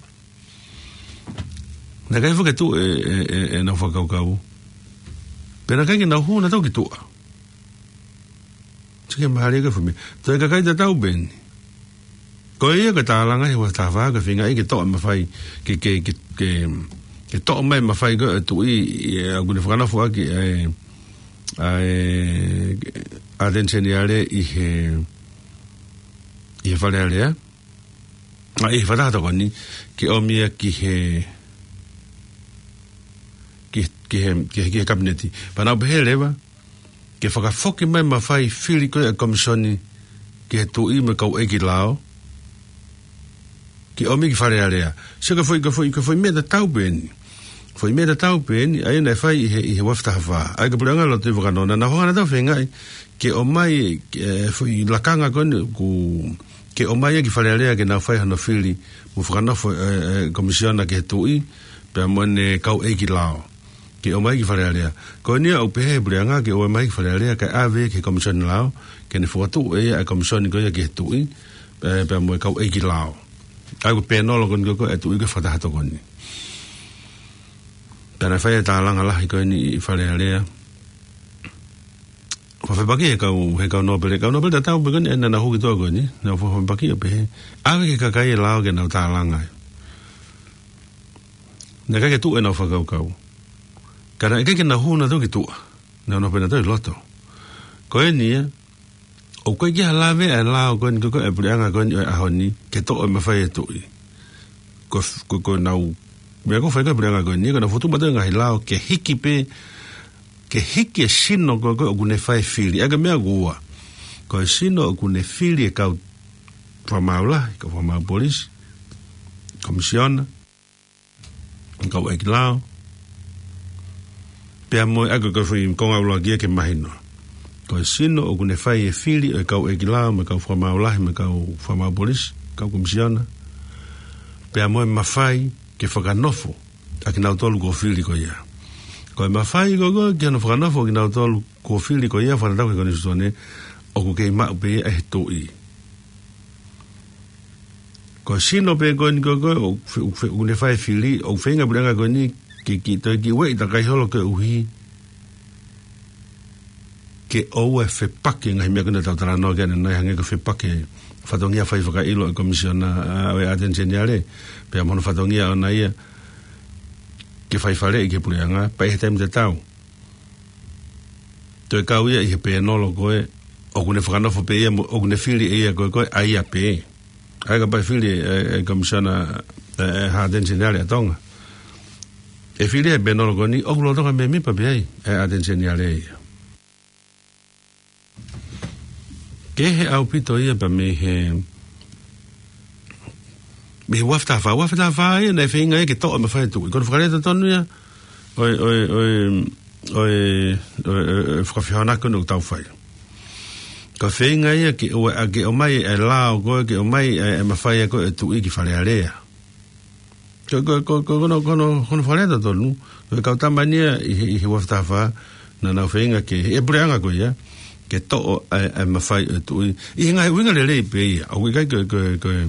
naʻe ʻikai foki ke tuʻu e, e, e, ʻenau fakakaukau. Pea naʻe ʻikai ke nau hū nautolu ki tuʻa. Sio ki he mālie ko ē e fuʻu meʻa. Toe kakai tatau pē eni. Ko ia ko e tālanga he ua afe taha fā, ko e feingaʻi ke toʻo e mafai, ke, ke, ke, ke, ke toʻo mai e mafai ko ē ʻa e Tuʻi, ʻa ia ʻoku ne fakanofo ʻaki ʻa e, ʻa e, ʻa ʻAteni Seniale ʻi he, ʻi he Fale Alea. ʻA, ʻi he fakataha tokoni, ke ʻomi ia ki he, ki, ki he, ki he, ki he Kapineti. Pea nau pehē leva, ke fakafoki mai e mafai fili ko ē ʻa e Komisoni ki he Tuʻi mo e kau ʻeiki lao, ke ʻomi ki Fale Alea. Sio, ko e foʻi, ko e foʻi, ko e foʻi meʻa tatau pē eni. Foʻi meʻa tatau pē eni, ʻa ia naʻe fai ʻi he, ʻi he ua afe taha fā. ʻA ia ko e puleʻanga Lord Tuʻivakanō, naʻa nau hanga nautolu ʻo feingaʻi ke ʻomai, e, foʻi lakanga ko eni ʻoku, ke ʻomai ia ki Fale Alea ke nau fai hono fili mo fakanofo, e, e, Komisiona ki he Tuʻi, pea mo ʻene kau ʻeiki lao. Ke ʻomai ki Fale Alea. Ko eni ia ʻoku pehē ʻe he puleʻanga ke ʻomai ki Fale Alea kae ʻave ki he Komisoni Lao, ke ne fokotuʻu ʻe ia e Komisoni ko ia ki he Tuʻi, e, pea mo e kau ʻeiki lao. ʻA ia ko e pēnolo ko eni ko ē ʻa e Tuʻi ko ē he fakataha tokoni. Pea naʻe fai e tālanga lahi ko eni ʻi Fale Alea. Fakafepaki he kau, he kau nōpele, kau nōpele tatau pē ko eni, ʻa ia naʻa nau hū ki tuʻa ko eni, naʻa nau fakafepaki ʻo pehē, ʻave ki he kakai e lao ke nau tālanga ai. Naʻe ʻikai ke tuʻu ʻenau fakakaukau. Ka naʻe ʻikai ke nau hū nautolu ki tuʻa. Naʻa nau pē nautolu ʻi loto. Ko eni ia, ʻoku ʻikai ke ʻi ai ha lave ʻa e lao ko eni ko ē ʻa e puleʻanga ko eni ʻo e ʻaho ni, ke toʻo e mafai ʻa e Tuʻi. Ko, ko, ko ʻenau, meʻa ko ē ʻoku fai ko ē ʻe he puleʻanga ko eni, ko ʻenau fokotuʻu mautolu e ngaahi lao ke hiki pē, ke hiki e sino ko ē ko ē ʻoku ne fai e fili. ʻA ia ko e meʻa ʻoku ua. Ko e sino ʻoku ne fili e kau fakamaau lahi, kau fakamaau polisi, Komisiona, kau ʻeiki lao. Pea mo e, ʻa ia ko e, ko e foʻi konga ʻuluaki ia ke mahino. Ko e sino ʻoku ne fai e fili ʻo e kau ʻeiki lao, mo e kau fakamaau lahi, mo e kau fakamaau polisi, kau Komisiona. Pea mo e mafai ke fakanofo ʻa kinautolu kuo fili ko ia. Ko e mafai ko ē ko ē ki hono fakanofo ʻa kinautolu kuo fili ko ia, fakatatau ki he Konisitūtone, ʻoku kei maʻu pē ia ʻe he Tuʻi. Ko e sino pē ko eni ko ē ko ē ʻoku fe-, ʻoku fe-, ʻoku ne fai e fili, ʻoku feinga e puleʻanga ko eni ke, ke toe kiʻi ueʻi takai holo koeʻuhi ke ʻoua ʻe fepaki e ngaahi meʻa ko eni naʻa tau talanoa ki ai ʻanenai, hangē ko e fepaki e fatongia fai fakaʻilo ʻa e Komisiona, ʻa, ʻo e ʻAteni Seniale, pea mo hono fatongia ʻoʻona ia ke fai faleʻi ki he puleʻanga, pea ʻi he taimi tatau toe kau ia ʻi he pēnolo ko ē, ʻoku ne fakanofo pē ia mo, ʻoku ne fili ʻe ia ko ē ko ē ʻa ia pē. ʻA ia kapau ʻe fili e, e, e Komisiona, e, e, ha ʻAteni Seniale ʻa Tonga, ʻe fili he pēnolo ko eni, ʻoku lolotonga mēmipa pē ai e ʻAteni Seniale ia. Kehe ʻaupito ia pea mei he, mei he ua afe taha fā, ua afe taha fā ia naʻe feinga ia ke toʻo e mafai ʻa e Tuʻi. Ko hono fakalea totonu ia ʻo e, ʻo e, ʻo e, ʻo e, ʻo e, ʻo e, ʻo e fakafehoanaki ko eni ʻoku tau fai. Ko e feinga ia ke ʻo, ʻa, ke ʻomai e lao ko ē, ke ʻomai e, e mafai ko ē ʻa e Tuʻi ki Fale Alea. Ko, ko, ko, ko, ko hono, ko hono, ko hono fakalea totonu, ko e kau tama ni ia ʻi he, ʻi he ua afe taha fā, naʻa nau feinga ke, ʻe he puleʻanga ko ia, ke toʻo e, e mafai ʻa e Tuʻi. ʻI he ngaahi ʻuhinga lelei pē ia, ʻoku ʻikai ko e, ko e, ko e,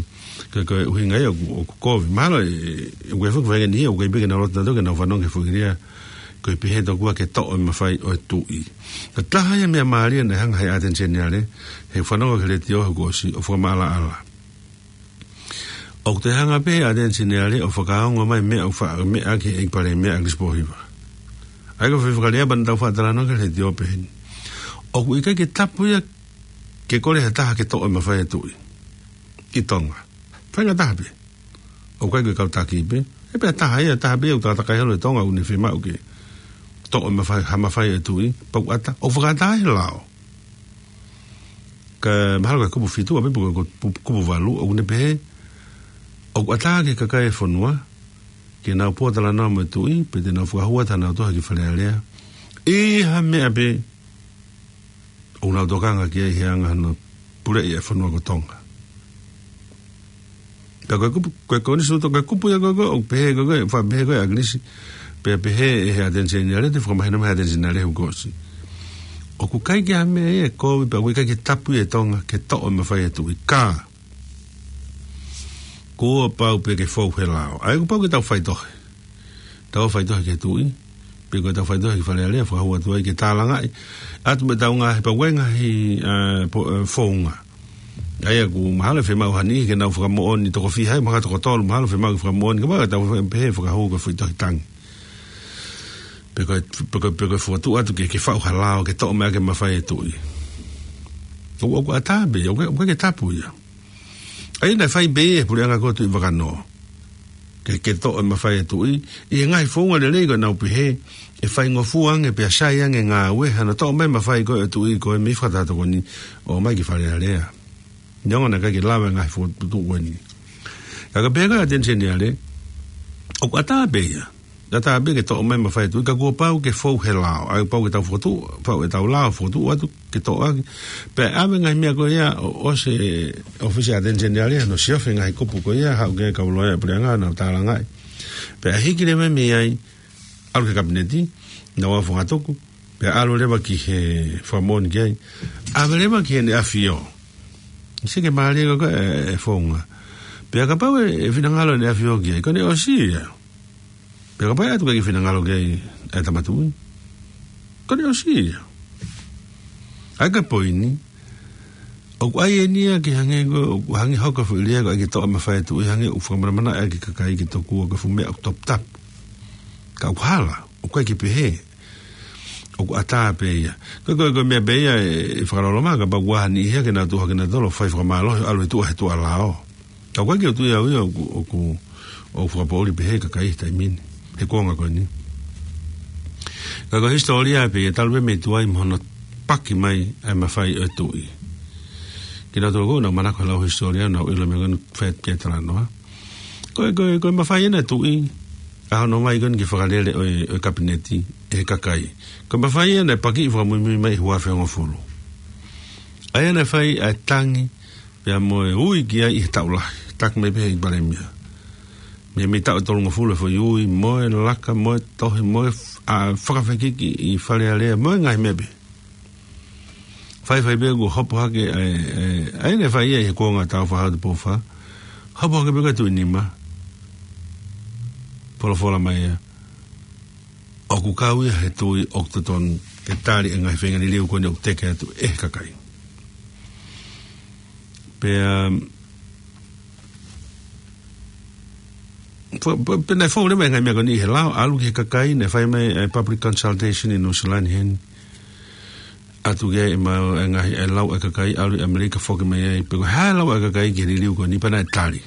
ko e, ko e ʻuhinga ia ʻoku, ʻoku kovi. Mahalo ʻe, ʻe, ʻoku ʻi ai e foʻi faʻahinga niʻihi, ʻoku ʻikai pē ke nau loto nautolu ke nau fanongo ki he foʻi lea ko e pehē tokua ke toʻo e mafai ʻo e Tuʻi. Ko e taha ia e meʻa mālie naʻe hanga ʻe he ʻAteni Seniale, he fanongo ki he letiō he kuo ʻosi, ʻo fakamaʻalaʻala. ʻOku toe hanga pē ʻa e ʻAteni Seniale ʻo fakaongo mai meʻa ʻoku fa-, meʻa ki he ʻEiki Palēmia ʻa Kilisi Pōhiva. ʻA ia ko e foʻi fakalea pē naʻa tau faʻa talanoa ki ai he ʻaho ni. ʻOku ʻikai ke tapu ia ke kole ha taha ke toʻo e mafai ʻa e tuʻi ʻi Tonga. Faingataha pē. ʻOku ʻikai ko e kau taki pē. ʻE pē ha taha ia, taha pē ia ʻoku takatakai holo ʻi Tonga ʻoku ne fiemaʻu ke toʻo e mafai, ha mafai ʻa e tuʻi, pea ʻoku ʻatā, ʻoku fakaʻatā he lao. Ka mahalo ko e kupu fitu, ʻa pē pe ko e kupu, kupu valu, ʻoku ne pehē, ʻoku ʻatā ki he kakai e fonua, ke nau pōtalanoa mo e tuʻi, pea te nau fakahū atu hanau tohi ki Fale Alea. ʻI ha meʻa pē, ʻoku nau tokanga ki ai he anga hono puleʻi e fonua ko Tonga. Pea ko e kupu, ko e konisi to, ko e kupu ia ko ē, ʻoku pehē ko ē, faʻa pehē ko ē ʻa Kilisi, pea pehē ʻe he ʻAteni Seniale, te fakamahino mai he ʻAteni Seniale he kuo ʻosi. ʻOku ʻikai ke ʻi ai ha meʻa ia ʻe kovi, pea ʻoku ʻikai ke tapu ia ʻe Tonga, ke toʻo e mafai ʻa e tuʻi ka. Kuo pau pē ke fou he lao. ʻA ia kuo pau ke tau faitohi. Tau faitohi ki he tuʻi. Pe ko ʻetau faitohi ki Fale Alea, fakahū atu ai ke tālangaʻi atu mo ʻetau ngaahi, pea ʻoku ʻi ai e ngaahi, ē, po-, ē, founga. ʻA ia ʻoku mahalo ʻe fiemaʻu ha niʻihi ke nau fakamoʻoni, toko fiha ai, mahalo toko tolu, mahalo ʻe fiemaʻu ke fakamoʻoni, ka mahalo ʻe tau pehē fakahū ko e foʻi tohi tangi. Pe ko e, pe ko e, pe ko e fokotuʻu atu ke, ke faʻu ha lao, ke toʻo mai ʻaki e mafai ʻa e tuʻi. ʻOku, ʻoku ʻatā pē, ʻoku, ʻoku ʻikai ke tapu ia. ʻA ia naʻe fai pē ʻe he puleʻanga ko ē ʻo Tuʻi Vakanō. Ke, ke toʻo e mafai ʻa e tuʻi, ʻi he ngaahi founga lelei ko ē naʻa nau pehē, ʻe faingofua ange pea sai ange e ngāue, hano toʻo mai e mafai ko ē ʻa e tuʻi ko ē mei Fakataha Tokoni, ʻo ʻomai ki Fale Alea. Neongo naʻe ʻikai ke lava e ngaahi fokotuʻutuʻu ko eni. Ka ko e pehē ko ē ʻa e ʻAteni Seniale, ʻoku ʻatā pē ia. ʻAtā pē ke toʻo mai e mafai ʻa e tuʻi ka kuo pau ke fou he lao. ʻA ia pau ke tau fokotuʻu, pau ke tau lao fokotuʻu atu ke toʻo ʻaki. Pea ʻave e ngaahi meʻa ko ia ʻo, ʻosi e ʻōfisi ʻa e ʻAteni Seniale, hano siofi e ngaahi kupu ko ia, haʻu ki ai e kau loea ʻa e puleʻanga, nau tālangaʻi. Pea hiki leva mei ai, ʻalu ki he Kapineti, nau ō ʻo fakatuku, pea ʻalu leva ki he fakamoʻoni ki ai. ʻAve leva ki heʻene ʻafio. ʻIkai ke mālie ko ē e, e founga. Pea kapau ʻe, ʻe finangalo ʻene ʻafio ki ai, ko ʻene ʻosi ia. Pea kapau ʻe ʻatu ki ai ke finangalo ki ai e tama tuʻi, ko ʻene ʻosi ia. ʻA ia ko e poini, ʻoku ʻi ai eni ia ke hangē ko, ʻoku hangē hoko e foʻi lea ko e ʻai ke toʻo e mafai ʻa e tuʻi, hangē ʻoku fakamanamanaʻi ʻaki e kakai ke tokua ko e fuʻu meʻa ʻoku toputapu. Ka ʻoku hala, ʻoku ʻikai ke pehē. ʻOku ʻatā pē ia. Ko e, ko e, ko e meʻa pē ia ʻe, ʻe fakaloloma, kapau ʻoku ʻi ai ha niʻihi ia ke nau tuʻu hake nautolu ʻo fai fakamālohi, ʻalu ʻo tuʻu he tuʻa lao. Ka ʻoku ʻikai ke u tui au ia ʻoku, ʻoku, ʻoku fakapoʻuli pehē e kakai he taimi ni. He kuonga ko eni. Ka ko e hisitōlia pē ia, talu pē mei tuai mo hono paki mai ʻa e mafai ʻa e tuʻi. Kinautolu ʻoku nau manako he lau hisitōlia, nau ʻilo e meʻa ko eni, fai atu ki ai e talanoa. Ko e, ko e, ko e mafai ena ʻa e tuʻi, ʻa hono ō mai ko eni ki he fakalele ʻo e, ʻo e Kapineti, ʻe he kakai. Ko e mafai ia naʻe pakiʻi fakamuimui mai ʻi he ua afe hongofulu. ʻA ia naʻe fai ʻa e tangi, pea mo e ui ki ai ʻi he taʻu lahi, taki mai pē ʻe he ʻEiki Palēmia. Mei, mei he taʻu ʻe tolungofulu e foʻi ui, mo e laka, mo e tohi, mo e f-, ʻa, fakafekiki ʻi Fale Alea, mo e ngaahi meʻa pē. Faifai pē kuo hopo hake, ʻa e, ʻa e, ʻa ia naʻe fai ia ʻi he kuonga ʻo Tāufaʻāhau Tupou Fā. Hopo hake pē ko e tuʻi nima. Folofola mai ia, ʻoku kau ia he tuʻi ʻoku totonu ke tali e ngaahi feinga liliu ko eni ʻoku teke atu ʻe he kakai. Pea, um, Fo-, pe-, pea naʻe fou leva e ngaahi meʻa ko eni he lao, ʻalu ki he kakai, naʻe fai mai e public consultation ʻi New Zealand heni. ʻAtu ki ai e ma-, e ngaahi, e lau ʻa e kakai, ʻalu ʻi ʻAmelika foki mai ai, pe ko e hā e lau ʻa e kakai ki he liliu ko eni, pea naʻe tali.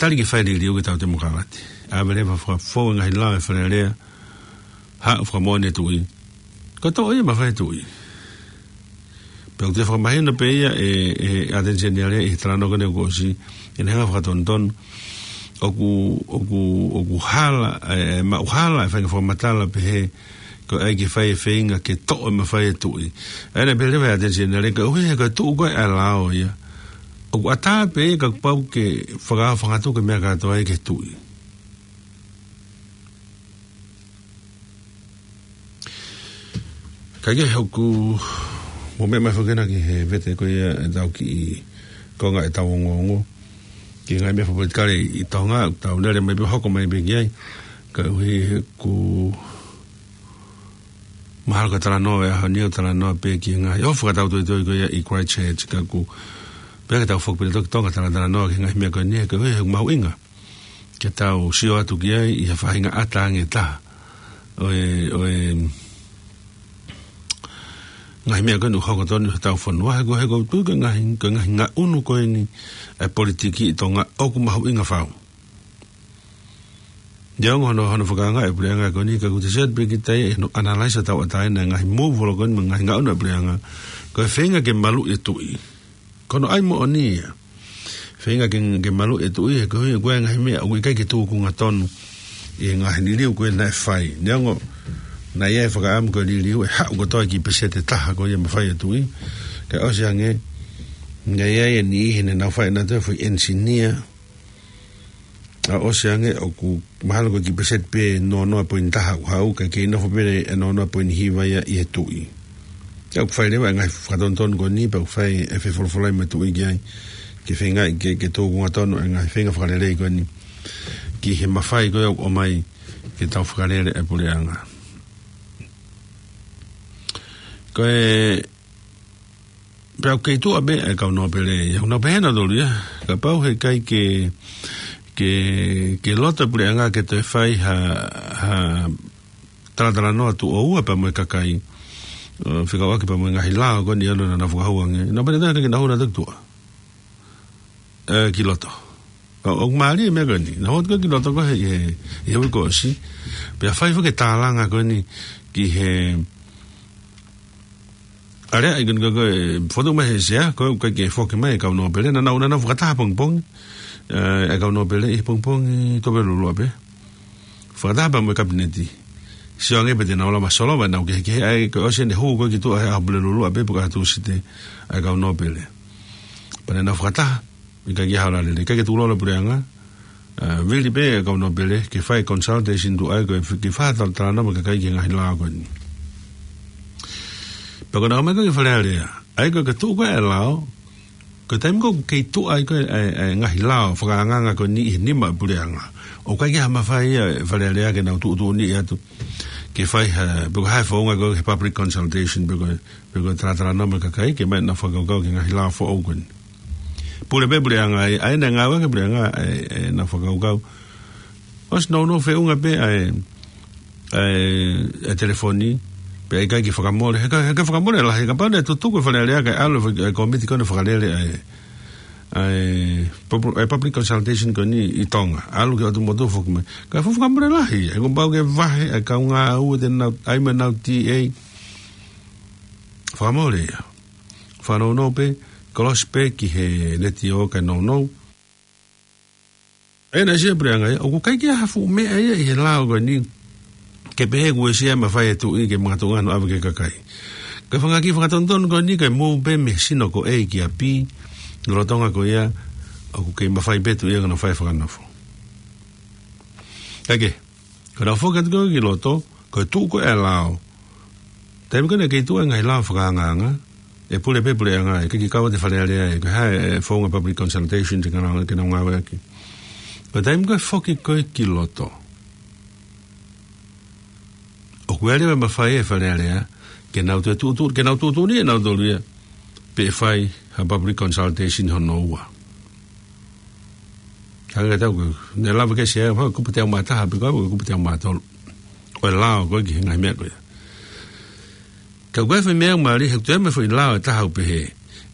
Tali ke fai e liliu ki he tau temokalati. ʻAve leva faka-, fou e ngaahi lao ʻa e Fale Alea, haʻu fakamoʻoni e tuʻi. Ko e toʻo ia e mafai ʻa e tuʻi. Pea ʻoku toe fakamahino pē ia ʻe, ʻe he ʻAteni Seniale ʻi he talanoa ko eni kuo ʻosi, ʻene hanga ʻo fakatonutonu. ʻOku, ʻoku, ʻoku hala, ʻe, ʻe maʻu hala e faʻahinga fakamatala pehē, ko e ʻai ke fai e feinga ke toʻo e mafai ʻa e tuʻi. ʻA ia naʻe pehē leva ʻe he ʻAteni Seniale, koeʻuhi he ko e tuʻu ko ē ʻa e lao ia. ʻOku ʻatā pē ia kapau ke fakaafangatuku e meʻa kātoa ia ki he tuʻi. Kae kehe, ʻoku mou meʻa mai foki ena ki he vete ko ia ʻetau kiʻi konga ʻetau ongoongo ki he ngaahi meʻa fakapolitikale ʻi Tonga, tau lele mai pē, hoko mai pē ki ai. Koeʻuhi he ʻoku mahalo ko e talanoa ʻo e ʻaho ni ʻoku talanoa pē ki he ngaahi ʻofa fakatau toitoi ko ia ʻi Christchurch, ka ʻoku Pea ke tau foki pē toki Tonga talatalanoa ki he ngaahi meʻa ko eni, he ko e, he mahuʻinga ke tau sio atu ki ai ʻi he faʻahinga ʻata ange ʻe taha ʻo e, ʻo e ngaahi meʻa ko eni ʻoku hoko tonu ʻi hotau fonua, he ko e, he ko e tuʻu ko e ngaahi, ko e ngaahi ngaʻunu ko eni ʻa e politiki ʻi Tonga ʻoku mahuʻinga fau. Neongo hono, hono fakaanga e puleʻanga ko eni, ka ʻoku te sio atu pē ki ai ʻi hono analyze ʻo e tauʻatāina e ngaahi move ko eni mo e ngaahi ngaʻunu e puleʻanga, ko e feinga ke maluʻi e tuʻi. Ko hono ʻai moʻoni ia. Feinga ke, ke maluʻi e tuʻi, he ko e, ko e ngaahi meʻa ʻoku ʻikai ke tūkunga tonu ʻi he ngaahi liliu ko ē naʻe fai. Neongo naʻe ʻi ai e fakaʻamu ko e liliu ʻe haʻu kotoa ki he peseti ʻe taha ko ia mafai e tuʻi, kae ʻosi ange naʻe ʻi ai e niʻihi naʻa nau fai ʻenautolu e foʻi enisinia, ʻa ʻosi ange ʻoku mahalo ko e kiʻi peseti pē noa noa poini taha ʻoku haʻu, kae kei nofo pē e noa noa poini hiva ia ʻi he tuʻi. Pea ʻoku fai leva e ngaahi fakatonutonu ko eni, pea ʻoku fai e fefolofolai mo e tuʻi ki ai, ke feingaʻi ke, ke tūkunga tonu e ngaahi feinga fakalelei ko eni ki he mafai ko ē ʻoku ʻomai ke tau fakalele e puleʻanga. Ko e, pea ʻoku kei tuʻa pē e kau nōpele ia, ʻoku nau pehē ʻenautolu ia, kapau he ʻikai ke, ke, ke loto e puleʻanga ke toe fai ha, ha talatalanoa tuʻo ua pea mo e kakai, ʻo fekauʻaki pea mo e ngaahi lao ko eni ʻoku nau fakahū ange, nau pehē ʻenautolu ʻikai ke nau hū ʻenautolu ki tuʻa, ē, ki loto. ʻO, ʻoku mālie e meʻa ko eni. Naʻa nau hū atu ki loto ko ē he, he, he uike kuo ʻosi. Pea fai foki e tālanga ko eni ki he, ʻa e lea ko eni ko ē, ko ē, fotu mai he sea, ko ē ʻoku ʻikai ke foki mai e kau nōpele, naʻa nau, naʻa nau fakataha pongipongi, ē, e kau nōpele ʻi he pongipongi Tupolulua pē. Fakataha pea mo e kapineti. Sio ange pe te nau lava ʻo solova ʻenau kehekehe, ʻa ia ko e ʻosi eni e hū ko ē ki tuʻa he ʻaho Pulelulu ʻapē pe ko e ʻaho Tūsite ʻa e kau nōpele. Pea naʻa nau fakataha, ʻikai ke ʻi ai ha ola lelei, ʻikai ke tukulolo e puleʻanga, ē, vili pē e kau nōpele ke fai consultation tuʻu ai ko e f-, ke fai ha talatalanoa mo e kakai ki he ngaahi lao ko eni. Pea ko ʻenau ō mai ko ē ki Fale Alea, ʻa ia ko e tuʻu ko ē e lao, ko e taimi ko ē ʻoku kei tuʻu ai ko ē e, e ngaahi lao fakaangaanga ko eni ʻi he nima e puleʻanga, ʻoku ʻikai ke ʻi ai ha mafai ʻa e Fale Alea ke nau tuʻutuʻuni atu ke fai ha, pe ko e hā e founga ko ē he public consultation, pe ko e, pe ko e talatalanoa mo e kakai ke ʻomai ʻenau fakakaukau ki he ngaahi lao foʻou ko eni. Pule pē puleʻanga ai, ʻa ia naʻe ngāueʻaki e puleʻanga ʻa e, ʻenau fakakaukau. ʻOsi nounou feʻunga pē ʻa e, ʻa e, ʻa e telefoni, pea ʻikai ke fakamole. He ʻikai, he ʻikai fakamole lahi, kapau naʻe tutuku e Fale Alea kae ʻalu e, e kōmiti ko eni ʻo fakalele ʻa e, ʻa e pub-, ʻa e public consultation ko eni ʻi Tonga. ʻAlu ki ʻOtu Motu foki mai. Kae fuʻu fakamole lahi, he kuo pau ke vahe ʻa e kau ngāue te nau ʻai mo ʻenau T A. Fakamole ia. Fakanounou pē, kolosi pē ki he letiō kae nounou. ʻA ia naʻe sio e puleʻanga ia, ʻoku ʻikai ke ʻi ai ha fuʻu meʻa ia ʻi he lao ko eni ke pehē kuo ʻosi ʻi ai e mafai ʻa e tuʻi ke makatuʻunga hono ʻave ki he kakai. Ko e fanga kiʻi fakatonutonu ko eni ko e move pē mei he sino ko A ki ʻapi, lolotonga ko ia ʻoku kei mafai pē e tuʻi ia ke nau fai e fakanofo. Kae kehe, ko ʻenau foki atu ko ē ki loto, ko e tuʻu ko ē e lao. Taimi ko ē naʻe kei tuʻu ai e ngaahi lao fakaangaanga, ʻe pule pē puleʻanga, ʻe kei kau atu e Fale Alea, ʻe ko e hā e founga public consultation te nau, te nau ngāueʻaki. Ko e taimi ko ē foki ko ē ki loto, ʻoku ʻi ai leva e mafai ʻa e Fale Alea ke nau toe tuʻutuʻu, ke nau tuʻutuʻuni ʻenautolu ia pe ʻe fai ha public consultation hono ua. Hangē ko e tau ko ē, naʻe lava ke sea, ha, kupu teau mā taha, pe ko e kupu teau mā tolu ʻo e lao ko ē ki he ngaahi meʻa ko ia. Ka ko e foʻi meʻa mālie, he ʻoku toe ʻi ai mo e foʻi lao ʻe taha ʻoku pehē,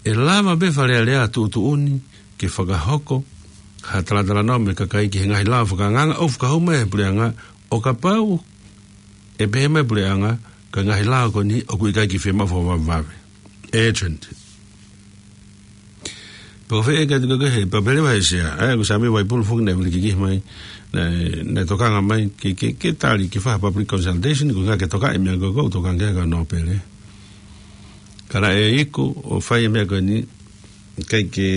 ʻe lava pē Fale Alea ʻo tuʻutuʻuni ke fakahoko ha talatalanoa mo e kakai ki he ngaahi lao fakaangaanga ʻoku fakahū mai ʻe he puleʻanga, ʻo kapau ʻe pehē mai e puleʻanga ko e ngaahi lao ko eni ʻoku ʻikai ke fiemaʻu fakavavevave. Urgent. Pea ko e feʻunga ko ē he, pea pehē leva ʻe he sea, ʻa ia ko Sami Vaipulu foki naʻe vili kikihi mai, naʻe, naʻe tokanga mai ke, ke, ke tali ke fai ha public consultation, ko e ʻuhinga ke tokaʻi e meʻa ko ē ʻoku tokanga ki ai e kau nōpele. Ka naʻe iku ʻo fai e meʻa ko eni, ʻikai ke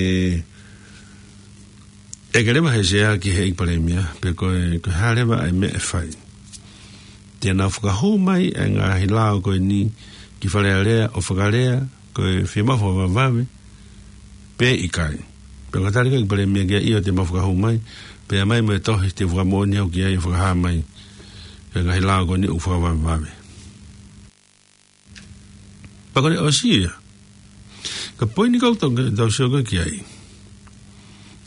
ʻeke leva ʻe he sea ki he ʻEiki Palēmia pe ko e, ko e hā leva e meʻa ʻe fai. Te nau fakahū mai e ngaahi lao ko eni ki Fale Alea ʻo fakalea ko e fiemaʻu fakavavevave pe ʻikai. Pea ko e tali ko ē ʻa e ʻEiki Palēmia ki ai, ʻio, te mau fakahū mai, pea ʻomai mo e tohi te u fakamoʻoni au ki ai ʻo fakahā mai e ngaahi lao ko eni ʻoku fakavavevave. Pea ko ʻene ʻosi ia, Ka ko e poini ʻoku tau, tau sio ko ē ki ai.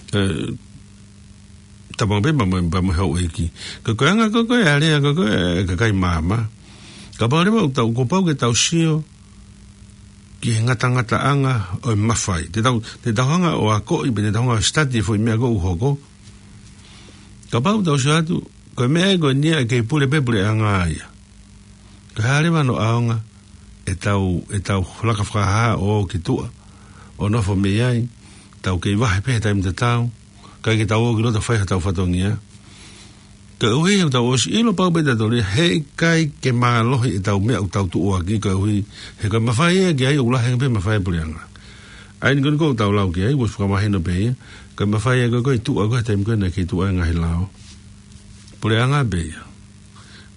ʻE, tapa pē pea mo, pea mo e houʻeiki. Ka ko e anga ko ē ʻa e lea ko ē ʻa e kakai māmā. Kapau leva ʻoku tau, kuo pau ke tau sio ki he ngatangataʻanga ʻo e mafai. Te tau, te tau hanga ʻo akoʻi, pe te tau hanga ʻo study e foʻi meʻa ʻoku hoko. Kapau tau sio atu, ko e meʻa ia ko eni ʻoku kei pule pē puleʻanga ia. Ko e hā leva hono ʻaonga ʻetau, ʻetau laka fakahā ʻo ō ki tuʻa, ʻo nofo mei ai, tau kei vahe pē he taimi tatau, ʻikai ke tau ō ki loto fai hotau fatongia. Koeʻuhi he ʻoku tau ʻosi ʻilo pau pē ʻe tautolu ia, he ʻikai ke mālohi ʻetau meʻa ʻoku tau tuʻu ʻaki, koeʻuhi he ko e mafai ia ki ai ʻoku lahi ange pē mafai ʻa e puleʻanga. ʻA eni ko eni ʻoku tau lau ki ai, ʻoku fakamahino pē ia, ko e mafai ia ko ē ʻi tuʻa ko ē he taimi ko ē naʻe kei tuʻu ai e ngaahi lao. Puleʻanga pē ia.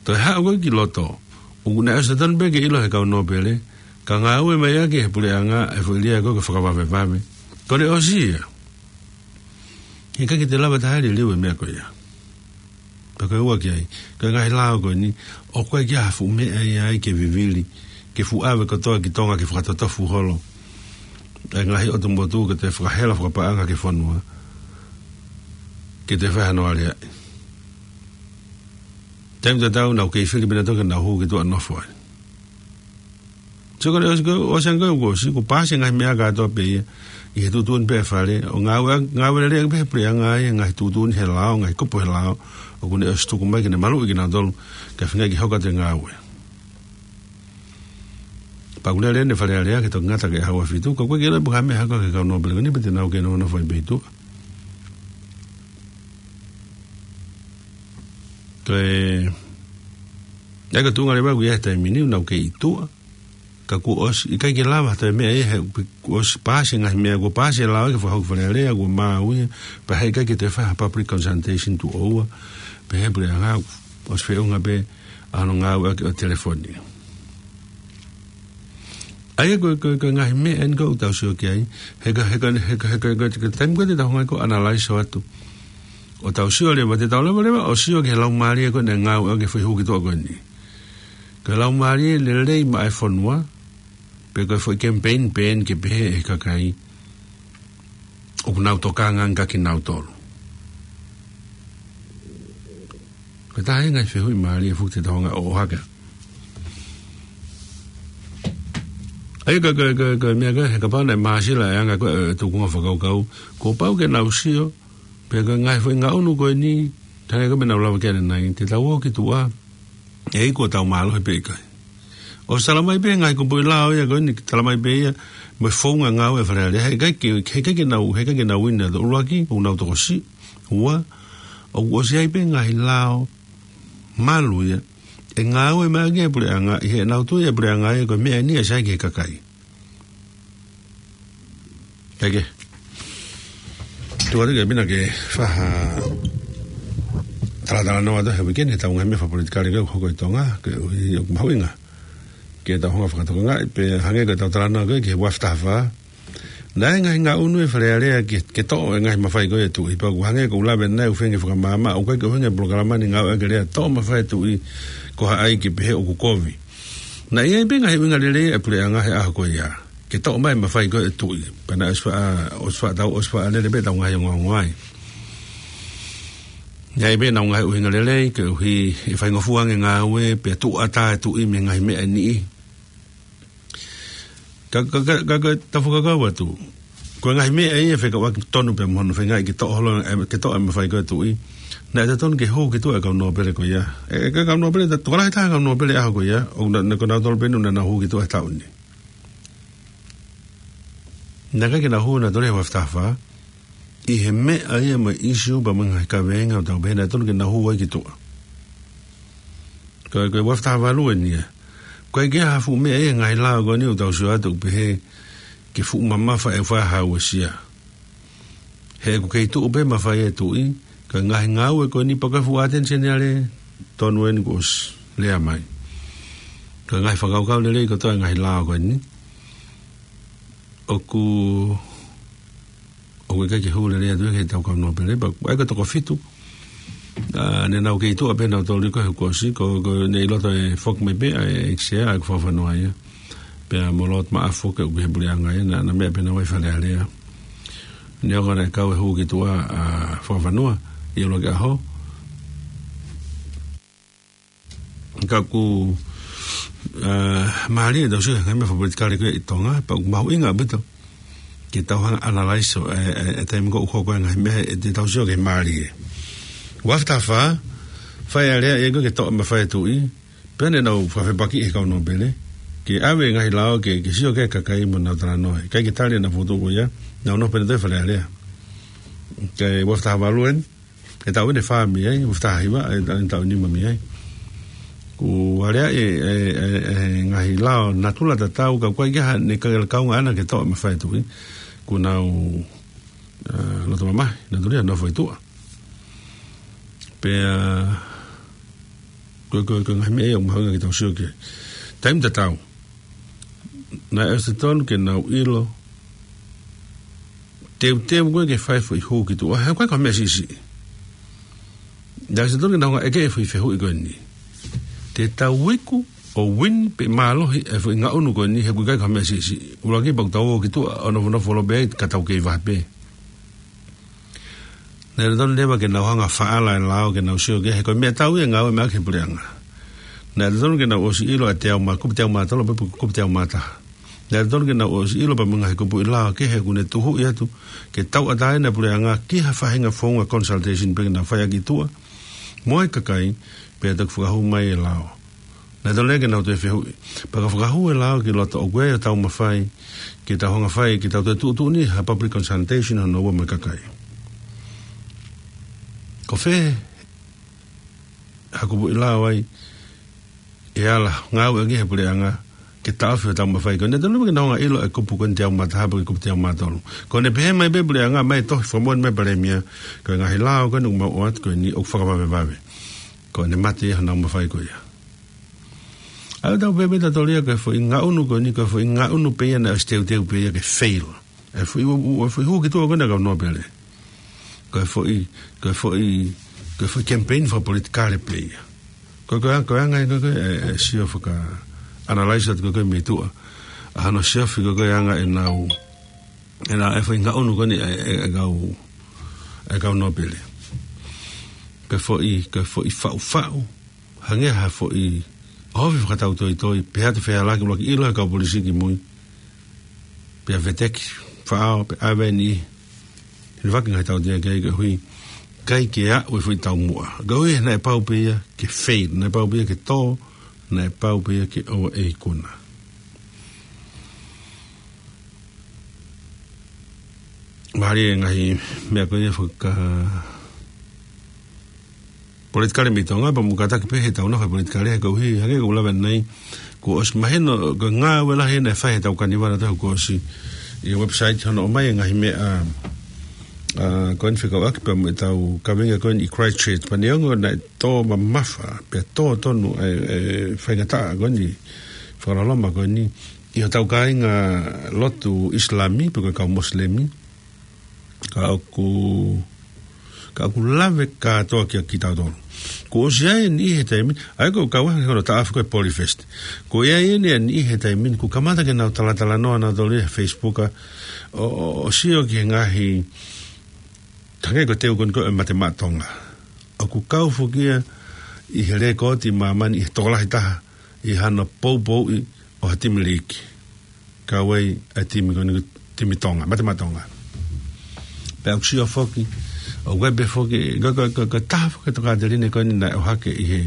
Toe haʻu ko ē ki loto, ʻoku ne ʻosi totonu pē ke ʻilo he kau nōpele, ka ngāue mai ʻaki ʻe he puleʻanga e foʻi lea ko ē ko e fakavavevave. Ko ʻene ʻosi ia. He ʻikai ke te lava taha liliu e meʻa ko ia. Pea ko e ua ki ai, ko e ngaahi lao ko eni, ʻoku ʻikai ke ʻi ai ha fuʻu meʻa ia ai ke vivili, ke fuʻu ʻave kotoa ki Tonga ke fakatotofu holo ʻa e ngaahi ʻotu motu, ke toe fakahela fakapaʻanga ki he fonua, ke toe fai hano aleaʻi. Taimi tatau naʻa nau kei fili pē nautolu ke nau hū ki tuʻa ʻo nofo ai. Sio ko ē, ʻosi ko ē, ʻosi ange ko ē, ʻosi kuo paasi e ngaahi meʻa kātoa pē ia ʻi he tuʻutuʻuni pē ʻa e fale, ʻo ngāue, ngāue lelei ange pē he puleʻanga ia, ngaahi tuʻutuʻuni he lao, ngaahi kupu he lao, ʻoku ne ʻosi tuku mai ke ne maluʻi kinautolu, kae feinga ke hoko atu e ngāue. Pea ʻoku lele ʻene Fale Alea ke toki ngata ki he ʻaho ua fitu, ka ʻoku ʻikai ke ʻilo pe ko e hā e meʻa ʻe hoko ki he kau nōpele ko eni, pe te nau kei nonofo ai pē ʻi tuʻa. Ko e, ʻa ia ko e tuʻunga leva ʻoku ʻi ai he taimi ni, ʻoku nau kei ʻi tuʻa. Ka kuo ʻosi, ʻikai ke lava ha toe meʻa ia he kuo ʻosi paasi e ngaahi meʻa, kuo paasi e lao ia ke fakahoko e Fale Alea, kuo maau ia, pea he ʻikai ke toe fai ha public consultation tuʻo ua, pea he puleʻanga, ʻosi feʻunga pē ʻa hono ngāueʻaki ʻo e telefoni. ʻA ia ko e, ko e, ko e ngaahi meʻa eni ʻoku tau sio ki ai, he ko e, he ko e, he ko e, he ko e, he ko e, he ko e taimi ko ē te tau hanga ko ē ʻo analyze atu. ʻO tau sio leva, te tau lava leva ʻo sio ki he laumālie ko ē naʻe ngāueʻaki e foʻi hū ki tuʻa ko eni. Ko e laumālie lelei maʻa e fonua, pe ko e foʻi campaign pē eni ke pehē ʻe he kakai ʻoku nau tokanga ange kia kinautolu. Ko e taha e ngaahi fehuʻi mālie foki te tau hanga ʻo ʻohake. ʻA ia ko e, ko e, ko e, ko e meʻa ko ē, he kapau naʻe māsila e anga ko ē e tūkunga fakakaukau, kuo pau ke nau sio, pe ko e ngaahi foʻi ngaʻunu ko eni, hangē ko e meʻa naʻa ku lave ki ai ʻanenai, te tau ō ki tuʻa, ʻe iku hotau mālohi pe ʻikai. ʻOsi talamai pē ngaahi kupuʻi lao ia ko eni, talamai pē ia, mo e founga ngāue ʻa e Fale Alea, he ʻikai ke, he ʻikai ke nau, he ʻikai ke nau ʻi ai ha ʻuluaki, ʻoku nau tokosiʻi, ua, ʻoku ʻosi ʻi ai pē ngaahi lao malu ia ʻe ngāue mai ʻaki e puleʻanga, ʻi heʻenau tui ʻa e puleʻanga ia ko e meʻa eni ʻe sai ki he kakai. Eke. Tuʻu atu ke pina ke fai ha talatalanoa atu he weekend, he ʻetau ngaahi meʻa fakapolitikale ko ē ʻoku hoko ʻi Tonga, koeʻuhi ʻoku mahuʻinga ke tau hanga ʻo fakatokangaʻi, pea hangē ko ʻetau talanoa ko ē ki he ua afe taha fā. Naʻe ngaahi ngaʻunu ʻa e Fale Alea ke, ke toʻo e ngaahi mafai ko ē ʻa e tuʻi, pea ʻoku hangē ko ʻeku lave ʻanenai ʻoku feinga ke fakamaama, ʻoku ʻikai ke ʻuhinga e polokalama ni ngāueʻaki e lea toʻo mafai ʻa e tuʻi, ko hai ke pehē ʻoku kovi. Naʻe ʻi ai pē ngaahi ʻuhinga lelei ʻa e puleʻanga he ʻaho ko ia ke toʻo mai e mafai ko ē ʻa e tuʻi. Pea naʻe ʻosi faʻa, ʻosi faʻa tau, ʻosi faʻa lele pē ʻetau ngaahi ongoongo ai. Naʻe ʻi ai pē ʻenau ngaahi ʻuhinga lelei, koeʻuhi ʻe faingofua ange e ngāue, pea tuʻu ʻatā e tuʻi mei he ngaahi meʻa ʻe niʻihi. Ka, ka, ka, ka, ka, tau fakakaukau atu. Ko e ngaahi meʻa ia fekauʻaki tonu pē mo hono feingaʻi ke toʻo holo, ē, ke toʻo e mafai ko ē ʻa e tuʻi. Naʻe totonu ke hū ki tuʻa e kau nōpele ko ia. ʻE, ʻe, kau nōpele, ta-, tokolahi taha e kau nōpele ʻaho ko ia, ʻoku na, na, ko nautolu pē eni naʻa nau hū ki tuʻa he taʻu ni. Naʻe ʻikai ke nau hū nautolu he ua afe taha fā, ʻi he meʻa ia mo e issue pea mo e ngaahi kaveinga ʻoku tau pehē naʻe totonu ke nau hū ai ki tuʻa. Ko e, ko e ua afe taha valu eni ia. ʻOku ʻikai ke ʻi ai ha fuʻu meʻa ia he ngaahi lao ko eni ʻoku tau sio atu ʻoku pehē ke fuʻu mamafa e fai ha uesia. He ʻoku kei tuʻu pē mafai ʻa e tuʻi, ka ko e ngaahi ngāue ko eni pea ko e fuʻu ʻatenisione ale tonu eni kuo ʻosi lea mai. Ko e ngaahi fakakaukau lelei kotoa e ngaahi lao ko eni. ʻOku, ʻoku ʻikai ke hū lelei atu ia ki heʻetau kau nōpele, pea ʻa ia ko e toko fitu. ʻA, naʻa nau kei tuʻa pē nautolu ko ē he kuo ʻosi, ko, ko ʻene ʻi loto e foki mai pē ʻa e ʻEiki Sea, ʻa ia ko Fakafanua ia. Pea mo Lord Maʻafu ke ʻoku ʻi he puleʻanga ē, naʻa na meʻa pē naʻa nau ʻi Fale Alea. Neongo naʻe kau e hū ki tuʻa ʻa Fakafanua ʻi he ʻuluaki ʻaho. Ka ʻoku, ā, mālie ʻetau sio ki he ngaahi meʻa fakapolitikale ko ē ʻi Tonga, pea ʻoku mahuʻinga ʻaupito ke tau hanga ʻo analyze ʻo e, e, e taimi ko ē ʻoku hoko ai e ngaahi meʻa, ʻe te tau sio ki he mālie. Ua afe taha fā, fai e alea ia ko ē ke toʻo e mafai ʻa e tuʻi, pea ne nau fakafepakiʻi ʻe he kau nōpele ke ʻave e ngaahi lao ke, ke sio ki ai e kakai mo nau talanoa. ʻIkai ke tali ʻenau fokotuʻu ko ia, nau nofo pē ʻo nau tō ʻi Fale Alea. Kae ua afe taha valu eni, e taʻu eni ʻe fā mei ai, ua afe taha hiva, e taʻu, e taʻu ʻe nima mei ai. Kuo aleaʻi e, e, e, e ngaahi lao natula tatau, ka ʻoku ʻikai ke ʻi ai haʻane kaunga ʻaʻana ke toʻo e mafai ʻa e tuʻi. Kuo nau, ā, loto mamahi, nau tuli ʻo nofo ʻi tuʻa. Pea, ko e, ko e, ko e ngaahi meʻa ia ʻoku mahuʻinga ke tau sio ki ai. Taimi tatau, naʻe ʻosi totonu ke nau ʻilo, teuteu ko ē ke fai e foʻi hū ki tuʻa, he ʻoku ʻikai ko ha meʻa siʻisiʻi. Naʻe ʻosi totonu ke nau hanga ʻo ʻeke e foʻi fehuʻi ko eni. Te tau iku ʻo win pe mālohi e foʻi ngaʻunu ko eni, he ʻoku ʻikai ko ha meʻa siʻisiʻi. ʻUluaki, pea ʻoku tau ō ki tuʻa ʻo nofonofo lōpē ai ka tau kei vahe pē. Naʻe totonu leva ke nau hanga ʻo faʻala e lao ke nau sio ki ai, he ko e meʻatau ia e ngāue mai ʻaki e puleʻanga. Naʻe totonu ke nau ʻosi ʻilo ʻa e teau mā, kupu teau mā tolu, pe kupu teau mā taha. Naʻe totonu ke nau ʻosi ʻilo pea mo e ngaahi kupuʻi lao kehe ʻoku ne tuhuʻi atu ke tauʻatāina e puleʻanga ki ha faʻahinga founga consultation pē ke nau fai ʻaki ʻi tuʻa mo e kakai, pea toki fakahū mai e lao. Naʻe totonu ke nau toe fehuʻi, pea ka fakahū e lao ki loto, ʻoku ʻi ai hotau mafai ke tau hanga ʻo fai, ke tau toe tuʻutuʻuni ha public consultation hono ua mo e kakai. Ko fē ha kupuʻi lao ai ʻe ala ngāueʻaki ʻe he puleʻanga ke taʻofi hotau mafai ko eni? Naʻe totonu ke nau hanga ʻo ʻilo e kupu ko eni teau mā taha pe ko e kupu teau mā tolu. Ko ʻene pehē mai pē e puleʻanga, mai e tohi fakamoʻoni mai Palēmia, ko e ngaahi lao ko eni ʻoku mau ʻoatu ko eni ʻoku fakavavevave. Ko ʻene mate ia honau mafai ko ia. ʻA ia ʻoku tau pehē pē tautolu ia ko e foʻi ngaʻunu ko eni, ko e foʻi ngaʻunu pē ia naʻe ʻosi teuteu pē ia ke fail. E foʻi, ʻo, ʻo, foʻi hū ki tuʻa ko eni ʻa e kau nōpele. Ko e foʻi, ko e foʻi, ko e foʻi campaign fakapolitikale pē ia. Ko e, ko e, ko e anga ia ko ē, e, e sio faka-analyze atu ko ē mei tuʻa. ʻA hono siofi ko ē anga ʻenau, ʻenau, e foʻi ngaʻunu ko eni e, e, e kau, e kau nōpele. Ko e foʻi, ko e foʻi faʻufaʻu, hangē ha foʻi ʻohofi fakatautoitoi, pea ʻoatu e fehālaaki, ʻuluaki ʻilo ʻe he kau polisi kimui, pea veteki, faʻao, pea ʻave e niʻihi. He ʻoku ʻikai ke ngaahi tautea ki ai koeʻuhi ʻikai ke aʻu e foʻi taumuʻa. Koeʻuhi naʻe pau pē ia ke fail, naʻe pau pē ia ke tō, naʻe pau pē ia ke ʻoua ʻe ikuna. Mālie e ngaahi meʻa ko ia faka-, politikale mei Tonga, pea mo e kātaki pē heʻetau nofo politikale, he koeʻuhi, hangē ko ʻeku lave ʻanenai, kuo ʻosi mahino ko e ngāue lahi naʻe fai heʻetau kanivale ʻo e taʻu kuo ʻosi ʻi he website hono ʻomai e ngaahi meʻa, ā, ko eni fekauʻaki pea mo ʻetau kaveinga ko eni ʻi Christchurch, pea neongo naʻe tō mamafa, pea tō tonu e, e faingataʻa ko eni, fakaloloma ko eni, ʻi hotau kāinga lotu ʻIsilami, pe ko e kau Mosilemi, ka ʻoku, ka ʻoku lave kātoa kia kitautolu. Kuo ʻosi ʻi ai e niʻihi he taimi ni, ʻa ia ko e kau anga hono taʻafi ko e Polyfest. Kuo ʻi ai e niʻihi he taimi ni, kuo kamata ke nau talatalanoa nautolu he Facebook, ʻo, ʻo, ʻo sio ki he ngaahi, hangē ko e teu ko eni ko e Mate Maʻa Tonga. ʻOku kau foki ia ʻi he lēkooti ʻa māmani ʻi he tokolahi taha ʻi hano poupouʻi ʻo ha timi liiki. Kau ai e timi ko eni ko e timi Tonga, Mate Maʻa Tonga. Pea ʻoku sio foki, ʻoku ʻi ai pē foki, ko, ko, ko, ko e taha foki e tokāteline ko eni naʻe ʻohake ʻi he,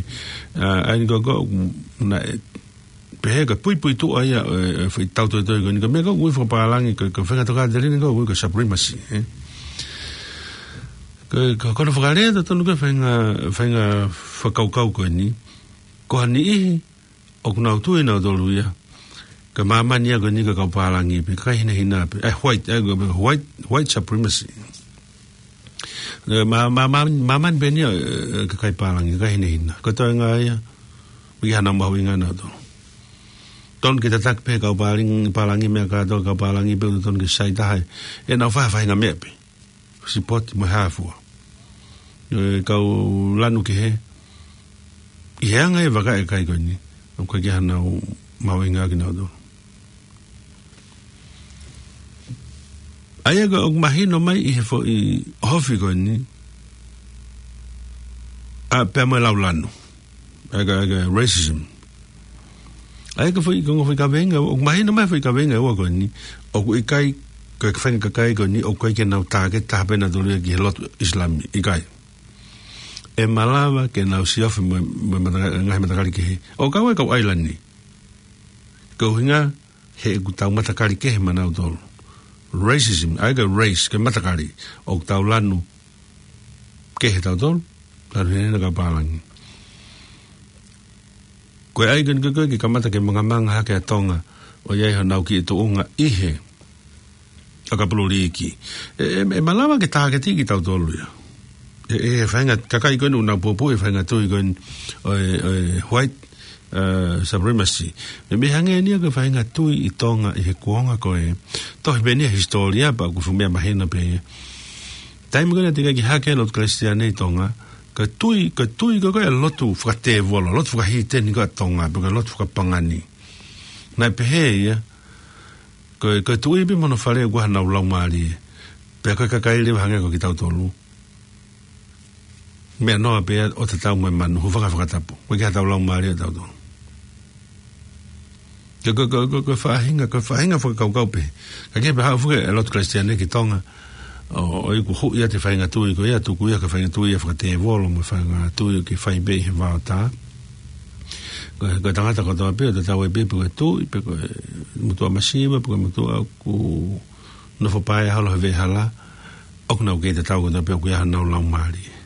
ā, ʻa eni ko, ko, naʻe pehē ko e puipuituʻa ia, e, e foʻi tautoitoi ko eni, ko e meʻa ko ē ʻoku ui fakapālangi, ko, ko e faʻahinga tokāteline ko ē ʻoku ui ko e supremacy, ē. Ko, ko, ko hono fakalea totonu ko ē faʻahinga, faʻahinga fakakaukau ko eni. Ko ha niʻihi ʻoku nau tui nautolu ia ko e māmani ia ko eni ko e kau pālangi pē, kakai hinehina pē. E white, e, ko e white, white supremacy. E, mā-, mā-, mā-, māmani pē eni ia, e, kakai pālangi, kakai hinehina. Ko e toenga ia, ʻoku ʻikai ke nau mahuʻinga nautolu. Totonu ke tataki pē kau pālangi, pālangi meʻa kātoa, kau pālangi pē ʻoku totonu ke sai taha ʻenau faʻahinga meʻa pē. Sipoti mo e hā fua. E kau lanu kehe, ʻi he anga e vaka e kakai ko eni, ʻoku ʻikai ke nau mahuʻinga kinautolu. ʻA ia ko ē ʻoku mahino mai ʻi he foʻi ʻohofi ko eni, ʻa, pea mo e laulanu. ʻA ia ko e, ʻa ia ko e racism. ʻA ia ko e foʻi, ko e ongo foʻi kaveinga, ʻoku mahino mai foʻi kaveinga ʻe ua ko eni, ʻoku ʻikai, ko e faʻahinga kakai ko eni, ʻoku ʻikai ke nau tāketi taha pē nautolu ia ki he lotu ʻIsilami, ʻikai. ʻE malava ke nau siofi mo, mo e mataka-, ngaahi matakali kehe. ʻO kau ai kau ʻAilani. Ko e ʻuhinga, he ʻoku tau matakali kehe maʻanautolu. Racism, ʻa ia ko e race, ko e matakali. ʻOku tau lanu kehe tautolu, lanu hinehina kau pālangi. Ko e ʻai ko eni ko ē ke kamata ke mangamanga hake ʻa Tonga, ʻo ʻi ai honau kiʻi tuʻunga ʻi he ʻakapulu liiki. ʻE, ʻe, ʻe malava ke tāketi kitautolu ia. ʻE, ʻe, he faʻahinga kakai ko eni ʻoku nau pōpoaki e faʻahinga tui ko eni ʻo e, ʻo e white, uh, supremacy. Meimei hangē eni ia ko e faʻahinga tui ʻi Tonga ʻi he kuonga ko ē. Tohi pē eni ia he hisitōlia pea ʻoku fuʻu meʻa mahino pē ia. Taimi ko ē naʻe teʻeki ai ke hake e lotu Kalisitiane ʻi Tonga, ko e tui, ko e tui ko ē ko e lotu fakatēvolo, lotu fakahīteni ko ē ʻa Tonga, pe ko e lotu fakapangani. Naʻe pehē ia, ko e, ko e tuʻi pē mo hono fale ʻoku ʻi ai honau laumālie. Pea ko e kakai leva hangē ko kitautolu. Meʻa noa pē ʻo tatau mo e manu, hūfanga he fakatapu. Ko e ʻikai haʻatau laumālie ʻatautolu. Ko e, ko e, ko e, ko e, ko e faʻahinga, ko e faʻahinga fakakaukau pē. Ka ke pehē ʻoku fuke e lotu Kalisitiane ki Tonga. ʻO, ʻo ʻikai huʻi ʻa e faʻahinga tui ko ia, tuku ia ko e faʻahinga tui ia fakatēvolo mo e faʻahinga tui ke fai pē ʻi he vaotā. Ko e, ko e tangata kotoa pē, ʻo tatau ai pē, pe ko e tuʻi, pe ko e motuʻa masiva, pe ko e motuʻa ʻoku nofo paea holo he veʻehala, ʻoku nau kei tatau kotoa pē ʻoku ʻi ai honau laumālie.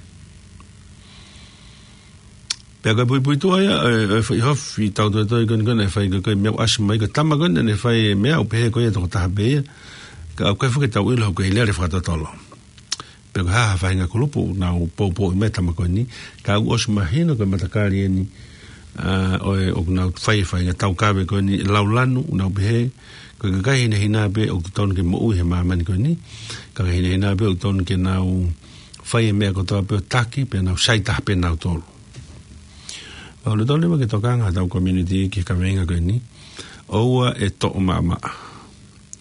Pea ko e puipuituʻa ia, ʻe, ʻe fai hofi tau toe toe ko eni ko eni ʻe fai ko e, ko e meʻa ʻasi mai ko e tama ko eni ʻe fai e meʻa ʻoku pehē ko ia tokotaha pē ia. Ka ʻoku ʻikai fuke tau ʻilo ko e lele fakatotolo. Pe ko e hā ha faʻahinga kulupu ʻoku nau poupou mai tama ko eni. Ka ʻoku ʻosi mahino ko e matakali eni, ʻa, ʻo e, ʻoku nau fai e faʻahinga taukave ko eni laulanu, ʻoku nau pehē, ko e kakai hinehina pē ʻoku totonu ke moʻui he māmani ko eni. Kakai hinehina pē ʻoku totonu ke nau fai e meʻa kotoa pē ʻo taki, pea nau sai taha pē nautolu. Pea ʻoku totonu leva ke tokanga ʻetau community ki he kaveinga ko eni. ʻOua ʻe toʻo maʻamaʻa.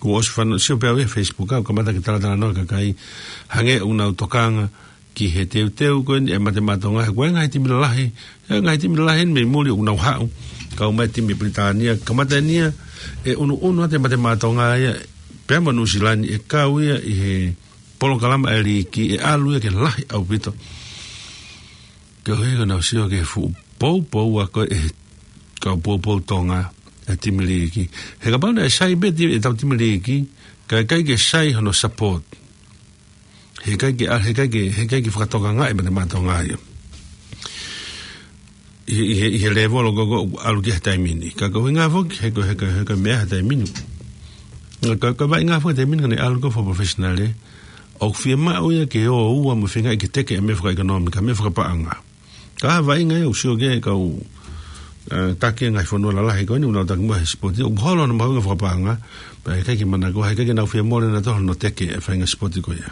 Kuo ʻosi fanongo, sio pē au he Facebook ʻoku kamata ke talatalanoa e kakai hangē ʻoku nau tokanga ki he teuteu ko eni ʻa e Mate Maʻa Tonga, he ko e ngaahi timi lalahi, e ngaahi timi lalahi eni mei muli ʻoku nau haʻu. Kau mai e timi Pilitānia, kamata eni ia ʻe ʻunuʻunu atu e Mate Maʻa Tonga ia, pea mo Nuʻusila ni ʻe kau ia ʻi he polokalama ʻa e liiki, ʻe ʻalu ia ke lahi ʻaupito. Ke ʻohake ʻenau sio ki he fuʻu poupou ʻa ko ē ʻa e kau poupou Tonga ʻa e timi liiki. He kapau naʻe sai pē ti-, ʻetau timi liiki, ka ʻikai ke sai hono support. Heʻikai ke, heʻikai ke, heʻikai ke fakatokangaʻi e Mate Maʻa Tonga ia. ʻI, ʻi he, ʻi he lēvolo ko ē ʻoku ʻalu ki ai he taimi ni. Ka ko e ʻuhinga foki, he ko e, he ko e, he ko e meʻa he taimi ni. Ka, ka vaʻinga foki he taimi ni ka ne ʻalu ko e fakaprofessional ē. ʻOku fiemaʻu ia ke ō ua mo feingaʻi ke teke e meʻa fakaʻekonōmika, meʻa fakapaʻanga. Ka vaʻinga ia ʻoku sio ki ai e kau, ʻe, taki e ngaahi fonua lalahi ko eni, ʻoku nau taki muʻa he sipoti, ʻoku holo hono mahuʻinga fakapaʻanga, pea ʻikai ke manakoa, ʻikai ke nau fie mole nautolu hono teke e faʻahinga sipoti ko ia.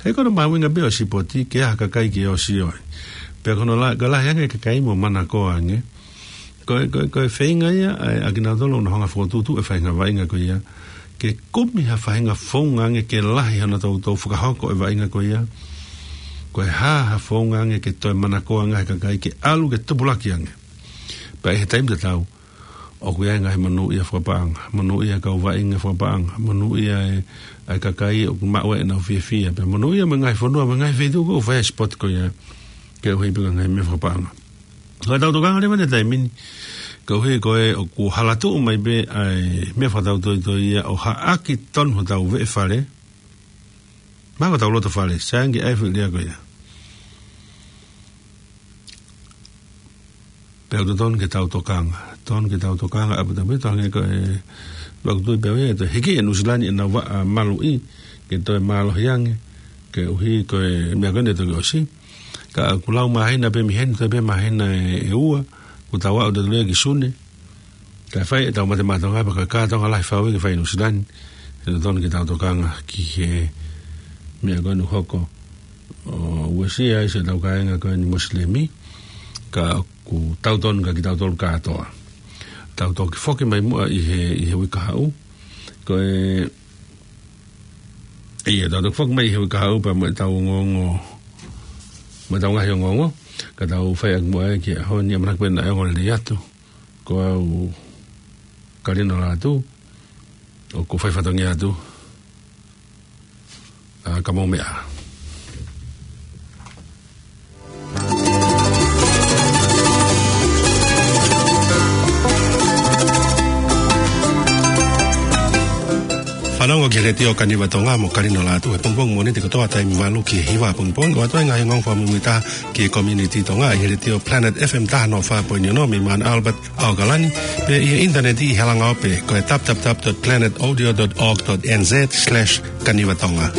He ko hono mahuʻinga pē ʻo e sipoti, ke ʻi ai ha kakai ke ō ʻo sio ai. Pea ko hono la-, ka lahi ange e kakai mo manakoa ange, ko e, ko e, ko e feinga ia, ʻa e, ʻa kinautolu ʻoku nau hanga ʻo fokotuʻutuʻu e faʻahinga vaʻinga ko ia, ke kumi ha faʻahinga founga ange ke lahi hano toutou fakahoko e vaʻinga ko ia. Ko e hā ha founga ange ke toe manakoa ange he kakai ke ʻalu ke tupulaki ange. Pea ʻi he taimi tatau, ʻoku ʻi ai e ngaahi monūʻia fakapaʻanga, monūʻia e kau vaʻinga fakapaʻanga, monūʻia e, ʻa e kakai ʻoku maʻu ai ʻenau fiefia, pea monūʻia mo e ngaahi fonua, mo e ngaahi feituʻu ʻoku fai ai e sipoti ko ia, ke ʻuhi pē ko e ngaahi meʻa fakapaʻanga. Ko ʻetau tokanga leva he taimi ni, koeʻuhi ko e ʻoku halatuʻu mai pē ʻa e meʻa fakatautoitoi ia ʻo haʻaki tonu hotau veʻe fale. Mahalo ko hotau loto fale, sai ange ʻa e foʻi lea ko ia. Pea ʻoku totonu ke tau tokanga, totonu ke tau tokanga ʻaupito pē, totonu ke ko e, ʻoku tui pē au ia, ʻe toe hiki ʻe Nuʻusila ni ʻenau vaʻa maluʻi, ke toe mālohi ange, koeʻuhi ko e meʻa ko eni ʻe toki ʻosi. Ka ʻoku lau māhina pē mei heni, toe pē māhina ʻe, ʻe ua, kuo tau aʻu atu leva ki Sune. Kae fai ʻetau Mate Maʻa Tonga, pea ko e kātoanga lahi fau ia ke fai ʻi Nuʻusila ni, ʻe totonu ke tau tokanga ki he meʻa ko eni ʻoku hoko. ʻOku uesia ai siʻetau kāinga ko eni Mosilemi, ka ʻoku tau tonu kia kitautolu kātoa. Tau toki foki mai muʻa ʻi he, ʻi he uike kahaʻu. Ko e ʻIa, tau toki foki mai he uike kahaʻu pea mo ʻetau ongoongo, mo ʻetau ngaahi ongoongo, ka tau fai ʻaki muʻa ē ki he ʻaho ni, ʻamanaki pē naʻe ongo lelei atu. Ko au Kalino Lātū, ʻoku fai fatongia atu. ʻA, ka mou meʻa. Fanongo ki he Letiō Kaniva Tonga mo Kalino Lātū he pongipongi Mōnite kotoa taimi valu ki he hiva pongipongi. ʻOatu ai e ngaahi ongoongo fakamuimuitaha ki he community Tonga ʻi he Letiō Planet F M taha noa fā poini ono mei Mount Albert, ʻAokalani, pea ʻi he ʻinitaneti ʻi he langaope ko e w w w dot planet audio dot org dot n z slash kaniva tonga.